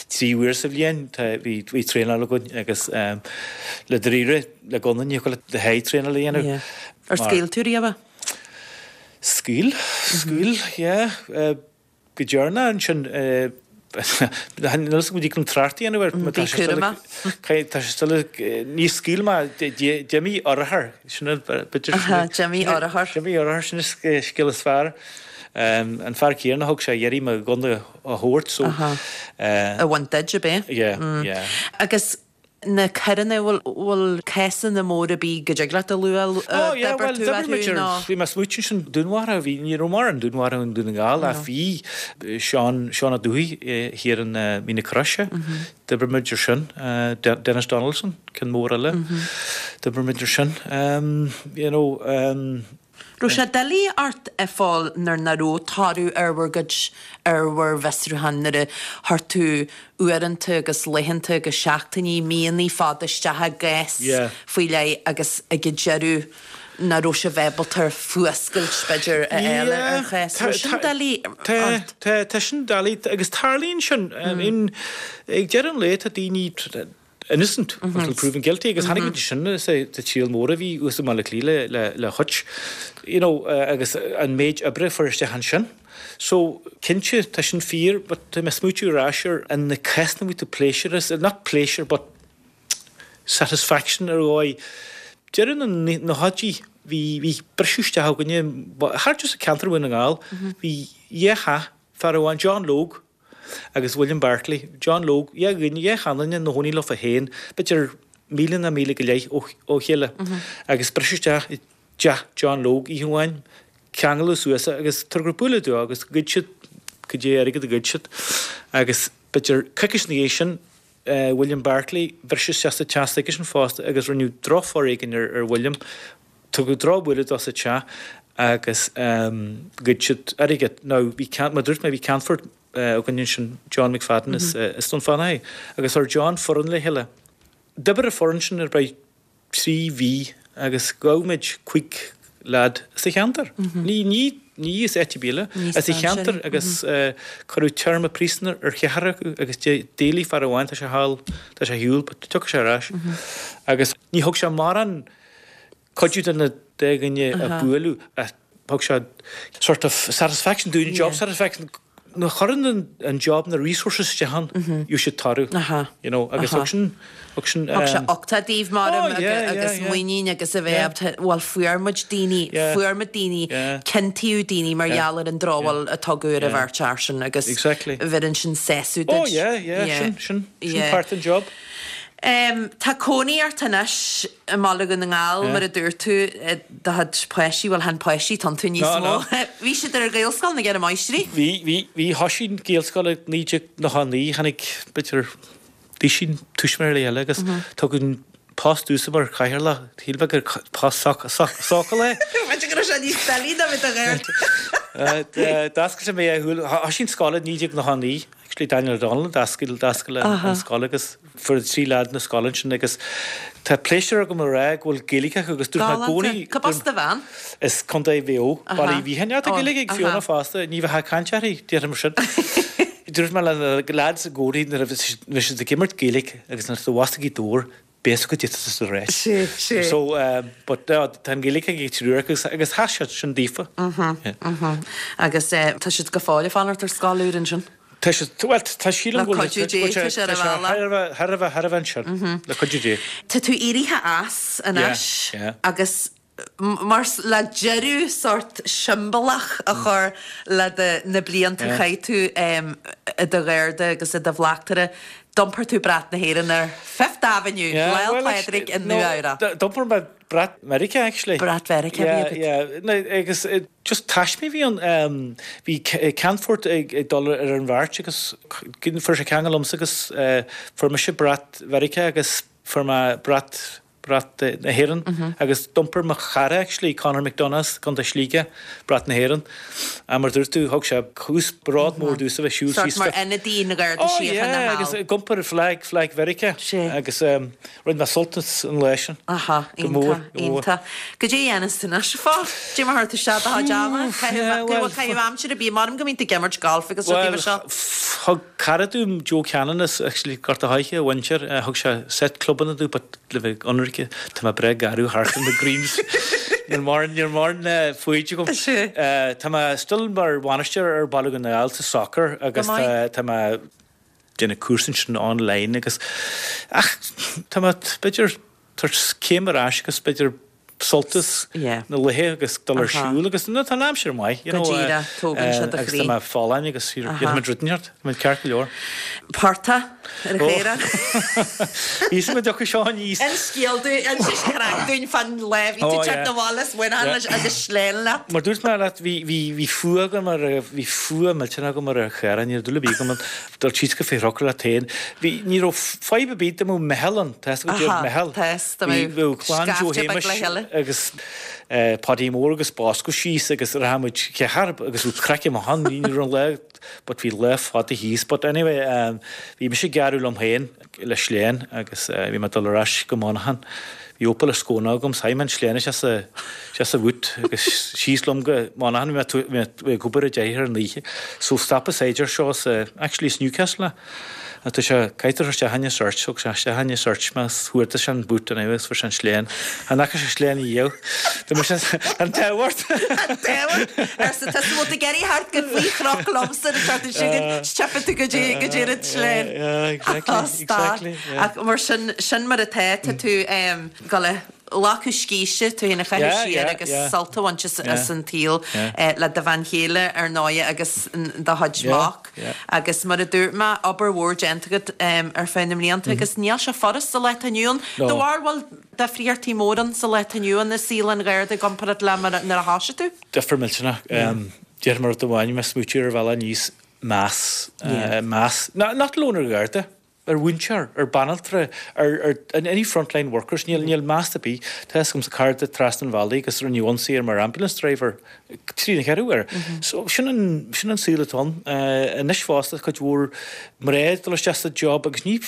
3 uair sa bhliain bhí traenáil againn agus le dáiríre le gunna ní thiocfadh leat a sháith traenáil a dhéanamh. Ar scaoil tú riamh? Scaoil, scaoil, yeah. Go deireanach ansin, níl fhios agam an dtig trácht a dhéanamh air. Bí cúramach. Tá sé still, ní scaoil mé, d'imigh urchar, sin an, b'fhéidir. D'imigh urchar. D'imigh urchar, sin an scéal is fearr. An fear céanna a thug sé iarraidh mo ghunna a thabhairt so. A bhaint duit, ab é? Yeah, yeah. Agus na coireanna, bhfuil cásanna móra ar bith go dtig leat a lua Oh yeah, d'oibir well tú d'oibir orthu muid ar, nó? bhí mé ag smaoitiú ansin dúnmharú, bhí, ní raibh mórán dúnmharú i nDún na nGall ach bhí Seán, Seán Ó Dubhthaigh thiar in Mín na Croise, d'oibir muid ar sin, Denis Donaldson, ceann mór eile, d'oibir muid ar sin, you know, Raibh sé doiligh ort a Phóil nuair nach raibh toradh ar bhur gcuid, ar bhur bhfiosrúchán, nuair a chuir tú uaireanta agus laethanta agus seachtainí, míonna fada isteach i gcás faoi leith agus ag an deireadh nach raibh sibh ábalta fuascailt, b'fhéidir, a fháil ar an chás. Raibh sin doiligh ort? Tá, tá sin doiligh agus tarlaíonn sin. I mean, ag deireadh an lae tá daoine. Innocent until proven guilty agus tháinig muid sin sa triail mór a bhí thuas i mBaile Átha Cliath le le Hutch you know agus an méid oibre a fuair isteach ansin. So cinnte tá sin fíor but tá mé ag smaoitiú ar ais ar an na cásanna a bhí tú pléisiúr as not pléisiúr but satisfaction ar dhóigh. Deireadh na nóchaidí bhí bhí briseadh isteach againne thart sa ceantar Dhún na nGall bhí dhá theach fear amháin John Logue agus William Barclay, John Logue, dhá dhuine, dhá sheanduine ina chónaí leofa féin, b'fhéidir míle ná míle go leith ó chéile, agus briseadh isteach i dteach John Logue oíche amháin, ceangaladh suas é agus tugadh bualadh dó agus ghoid siad cad é airgead a ghoid siad agus b'fhéidir coicís ina dhiaidh sin, William Barclay, briseadh isteach sa teach s'aigesean fosta agus rinneadh drochfhoréigean ar William. Tugadh drochbhualadh dó sa teach agus ghoid siad airgead. Now, bhí ceann, mar a dúirt mé, bhí ceannfort againn ansin, John McFadden as Dún Fionnachaidh, agus chuir John foireann le chéile. D'oibrigh an foireann sin ar feadh 3 mhí agus ghabh muid 5 leaid as an cheantar. Ní, ní, ní as áit ar bith eile, as an cheantar agus cuireadh téarma príosúin ar cheathrar acu agus d'éalaigh fear amháin, tá sé thall, tá sé ar shiúl, but tiocfaidh sé ar ais. Agus ní thug sé mórán cuidiú do na dá dhuine a buaileadh ach thug sé sort of satisfaction dúinn, job satisfaction, nuair a chuireann an job na resources isteach ann, gheobhaidh siad toradh, you know, agus thug sin, thug sin. Thug sé uchtach daoibh maram agus muinín agus a bheith ábalta, bhuel fuair muid daoine, fuair muid daoine, ciontaíodh daoine mar gheall ar an drochbhail a tugadh ar an bheirt fhear sin agus bheireann sin sásamh duit. Oh yeah, yeah, sin, sin, sin part den job. Tá cónaí ort anois i mBaile Dhún na nGall, mar a dúirt tú, do chuid páistí, bhuel, chan páistí atá iontu níos mó. Bhí siad ar Ghaelscoil na gCeithre Máistrí? Bhí, bhí, bhí. Thoisigh an Ghaelscoil i 1999, tháinig, b'fhéidir, duisín tuismitheoirí eile agus tugadh an post domhsa mar chathaoirleach, shíl mé gur post sócúil é. B'fhéidir go raibh sé níos doilí ná bhí do ghaird. D'oscail mé a shúil, thoisigh an scoil i 1999, actually Daniel O'Donnell a d'oscail, d'oscail an scoil agus fuair 3 leaid na scoile ansin agus tá pléisiúr agam a rá go bhfuil Gaeilge acu agus dúirt mé i gcónaí Galánta. Cárb as do bhean? Is Contae Mhaigh Eo, Baile Uí Mhiacháin. Tá Gaeilge ag Fiona fosta, ní bheifeá ag caint uirthi, déarfainn mar sin. Dúirt mé le na leaids i gcónaí nuair a bhí siad ag imirt Gaeilge agus nuair atá bhfás ag Gaoth Dobhair, beidh a fhios agat goidé atá tú a rá. Sé, sé. So, but tá an Ghaeilge ag triúr acu agus tá sé sin daofa. Agus tá siad go fóill ag fanacht ar scoil úr ansin? Tá siad, bhuel, tá sílim go bhfuil. Le cuidiú Dé, tá sé ar a bhealach. Thar a bheith, thar a bheith ansin, le cuidiú Dé. Tá tú éirithe as anois agus mar le deireadh sórt siombalach a chur le do, na blianta a chaith tú i do gharda agus i do bhleachtaire, d'iompair tú brat na hÉireann ar Fifth Avenue, Lá 'le Pádraig i Nua-Eabhrac. D'iompair mé brat Mheiriceá actually. Brat Mheiriceá a bhí agat. Yeah, yeah. Agus just taisme a bhí ann. Bhí Ceannfort ag dul ar an bheart agus fuair sé ceangal liomsa agus fuair mise brat Mheiriceá agus fuair mé brat brat na hÉireann agus d'iompair mo chara actually, Conor McDonagh as Contae Shligigh, brat na hÉireann. Ach mar dúirt tú, thug sé cúis bród mór domhsa bheith siúl síos. Sórt mar ionadaí na Garda Oh yeah, Síochána agus ag iompar flag, flag Mheiriceá. Sea. Agus rinne mé sult as an lá sin. Aha, Go mór, iontach, go mór. iontach. Goidé a dhéanas tú anois, a Phóil? Dé mar chuir tú isteach do chuid ama? Yeah, Caitheamh, caitheamh aimsire, bí, maram go mbíonn tú ag imirt golf agus rudaí mar seo. Bhuel, thug cara dom, Joe Cannon as actually Gort a' Choirce, a mhuintir, thug sé set clubanna domh but le bheith ionraice, tá mé breá garbh thart ar na greens. Níl mórán, níl mórán foighid agam. Tá mé still mar bhainisteoir ar Baile Dhún na nGall sa soccer agus tá, tá mé déanamh cúrsa ansin online agus ach tá mé b'fhéidir tabhairt céim ar ais agus b'fhéidir sult as na laethe agus dul ar siúl agus no tá an aimsir maith you know tógann sé do agus tá chroí. mé folláin agus dhéanfaidh muid rud inteacht, tá muid ceart go leor. Portach ar an chaorach. Bhí fhios agam go dtiocfadh seo aníos. Inis scéal dúinn, inis craic dúinn fán lá a bhí tú ag teacht abhaile as Muineachán leis agus sleán leat. Mar dúirt mé leat bhí bhí bhí fuath agam ar bhí fuath millteanach agam ar an Chaorach, ní raibh dúil ar bith agam ann. Dul síos go Fé Thrócaire leat féin. Bhí, ní raibh fadhb ar bith dá mbeadh meitheal ann, tá fhios agat goidé meitheal. Tá, dá mbeadh Bhí clann Joe scaifte beag le Shéamais chéile. agus Paudie Mór agus Bosco síos agus rachadh muid ceathrar agus bhí craic amach ann, ní raibh an lá, but bhí lá fada thíos. But anyway, bhí mise ag gearradh liom féin le sleán agus bhí mé ag dul ar ais go Monaghan. Bhí Opel Ascona agam, so chaith mé an sleán isteach sa, isteach sa bhoot agus síos liom go Monaghan, bhí mé, bhí mé ag obair i dteach ar an oíche. So stop an saighdiúir seo sa, actually is Newcastle é. Ach tá sé, caithfidh tú isteach in search, thug sé isteach in search mé, chuardaigh sé an boot anyway agus fuair sé an sleán. Chan fhaca sé sleán riamh. Tá mise, an t-ádh ort! An t-ádh ort! Arsa tusa, bhfuil tú ag iarraidh theacht go faoi chnoc liomsa an tseachtain seo chugainn, 's teipfidh tú go dtí, go dtí an sleán. Yeah, exactly, exactly, yeah. Ach mar sin, sin mar atá, tá tú ag dul a ghlacadh scíste, tú féin a chaitheamh siar agus sult a bhaint as an tsaol le do bhean chéile ar ndóighe agus do chuid mac. Agus mar a dúirt mé, obair mhór déanta agat ar feadh na mblianta agus níl sé furast sa lá atá inniu ann. Do bharúil bhfuil difríochtaí mór ann sa lá atá inniu ann i saol an Gharda i gcomparáid le mar nuair a thosaigh tú? Difear millteanach. Déarfaidh mé rud amháin, mé ag smaoitiú ar an bhealach aníos, meas, meas, not alone ar Gharda, ar mhúinteoir, ar banaltra, ar, ar, any frontline workers, níl, níl meas ar bith. Tá fhios agamsa cara trasna an bhealaigh agus rinneadh ionsaí air mar ambulance driver trína cheathrú uair. So sin an, sin an saol atá ann. Anois fosta cuid mhór mná ag dul isteach sa job agus ní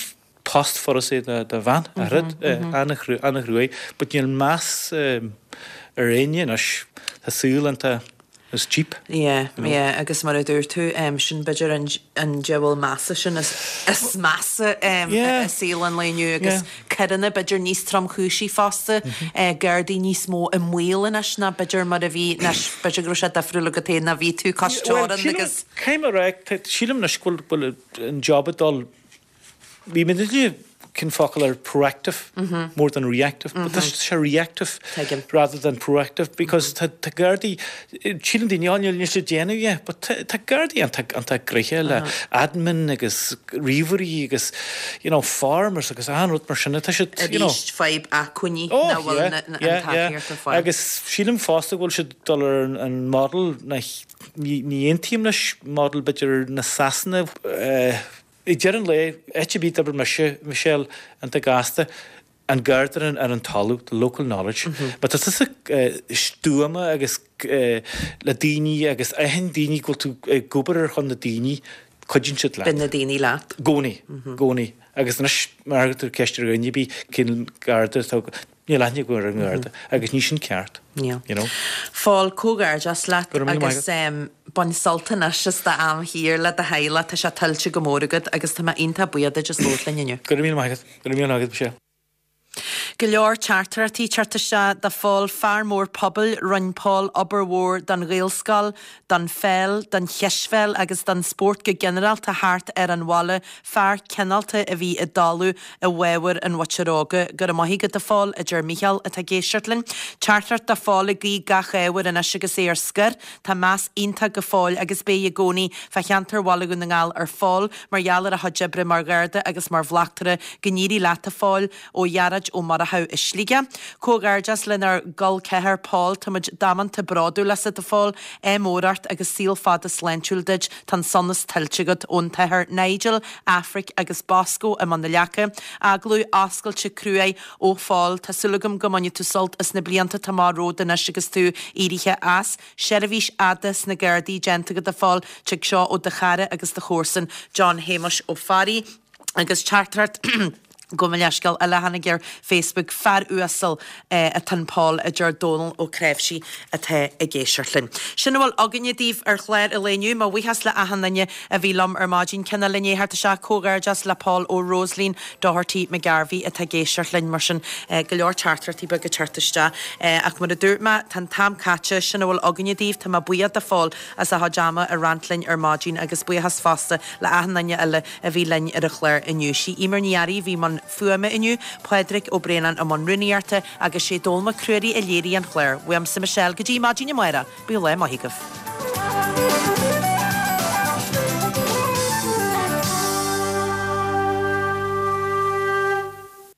post furast é do, do bhean, a rud, an-chruaidh, but níl meas ar éinne anois. Tá saol iontach Is cheap. Yeah, yeah, agus mar a dúirt tú, sin b'fhéidir an an diabhal measa sin is is measa i saol an lae inniu agus coireanna b'fhéidir níos tromchúisí fosta, Gardaí níos mó i mbaol anois ná b'fhéidir mar a bhí, anois b'fhéidir go raibh sé difriúil agat féin ná bhí tú cois teorann agus. Caithfidh mé a rá, sílim anois go bhfuil an job ag dul Bhí mé ag cinn focal ar proactive more than reactive, but tá sé reactive rather than proactive because tá Gardaí, síleann daoine, oh níl níl siad ag déanamh é, but tá Gardaí iontach gnoitheach le admin agus ríomhairí agus you know forms agus achan rud mar sin, tá siad you know. Arís fadhb acmhainní nach bhfuil an tacaíocht ar fáil. Agus sílim fosta go bhfuil siad ag dul ar an model, ní aontaím leis model b'fhéidir na Sasana, Ag deireadh an lae, áit ar bith a d'oibir mise, Michelle, iontach gasta, an Garda ar an talamh, the local knowledge. Má tá tusa stuama agus le daoine agus aithníonn daoine go bhfuil tú ag obair ar shon na daoine, cuidíonn siad leat. Bíonn na daoine leat. I gcónaí, i gcónaí. Agus anois, má chuireann tú ceist ar dhuine ar bith cén Garda atá Níl aithne agam ar an nGarda agus ní sin ceart. Níl. You know? Phóil, comhghairdeas leat Go raibh míle maith agus agat. bain sult anois as d'am shaor le do theaghlach, tá sé tuillte go mór agat agus tá mé iontach buíoch duit as labhairt linn inniu. Go raibh míle maith agat. Go raibh míle maith agat, Michelle. Go leor teachtaireachtaí ag teacht isteach do Phól, fear mór pobail, rinne Pól obair mhór don Ghaelscoil, don pheil, don chispheil agus don spórt go ginearálta thart ar an bhaile, Fear cineálta a bhí i dtólamh i bhfabhar an Mhuintir Óga. Go raibh maith agat a Phóil, a deir Mícheál atá ag éisteacht linn. Teachtaireacht do Phól ag guí gach ádh air anois agus é ar scor. Tá meas iontach go fóill agus beidh i gcónaí fá cheantar Bhaile Dhún na nGall ar Phól mar gheall ar a chuid oibre mar Gharda agus mar bhleachtaire. Go n-éirí leat a Phóil. Ó Ghearóid Ó Murchú i Sligeach. Comhghairdeas lenár gcol ceathar Paul, táimid damanta bródúil asat a Phóil, ádh mór ort agus saol fada sláintiúil duit, tá an sonas tuillte agat. Ón tAthair Nigel, Aifric agus Bosco i mBun na Leaca. Agallamh oscailte cruaidh ó Phól, tá súil agam go mbainfidh tú sult as na blianta atá amach romhat anois agus tú éirithe as. Seirbhís fhada sna Gardaí déanta agat a Phóil, tig seo ó do chara agus do chomharsan John Shéamuis Ó Fearraigh. Agus teachtaireacht gabh mo leithscéal eile a tháinig ar Facebook, fear uasal atá in Paul, a deir Dónal Ó Cnáimhsí atá ag éisteacht linn. Sin a bhfuil againne daoibh ar chlár an lae inniu. Mo bhuíochas le achan duine a bhí liom ar maidin. Cineál i ndiaidh a theacht isteach, comhghairdeas le Paul ó Rosaleen Doherty McGarvey atá ag éisteacht linn. Mar sin, go leor teachtaireachtaí beaga ag teacht isteach. Ach mar a dúirt mé, tá an t-am caite. Sin a bhfuil againne daoibh. Tá mé buíoch de Phól as a chuid ama a roinnt linn ar maidin agus buíochas fosta le achan duine eile a bhí linn ar an chlár inniu. Sí Eimear Ní Fhearraigh a bhí i mbun fuaime inniu, Pádraig Ó Braonáin i mbun rúnaíochta agus sé Dónall Mac Ruairí a léirigh an clár. Uaimse Michelle go dtí maidin amárach, bíodh lá maith agaibh.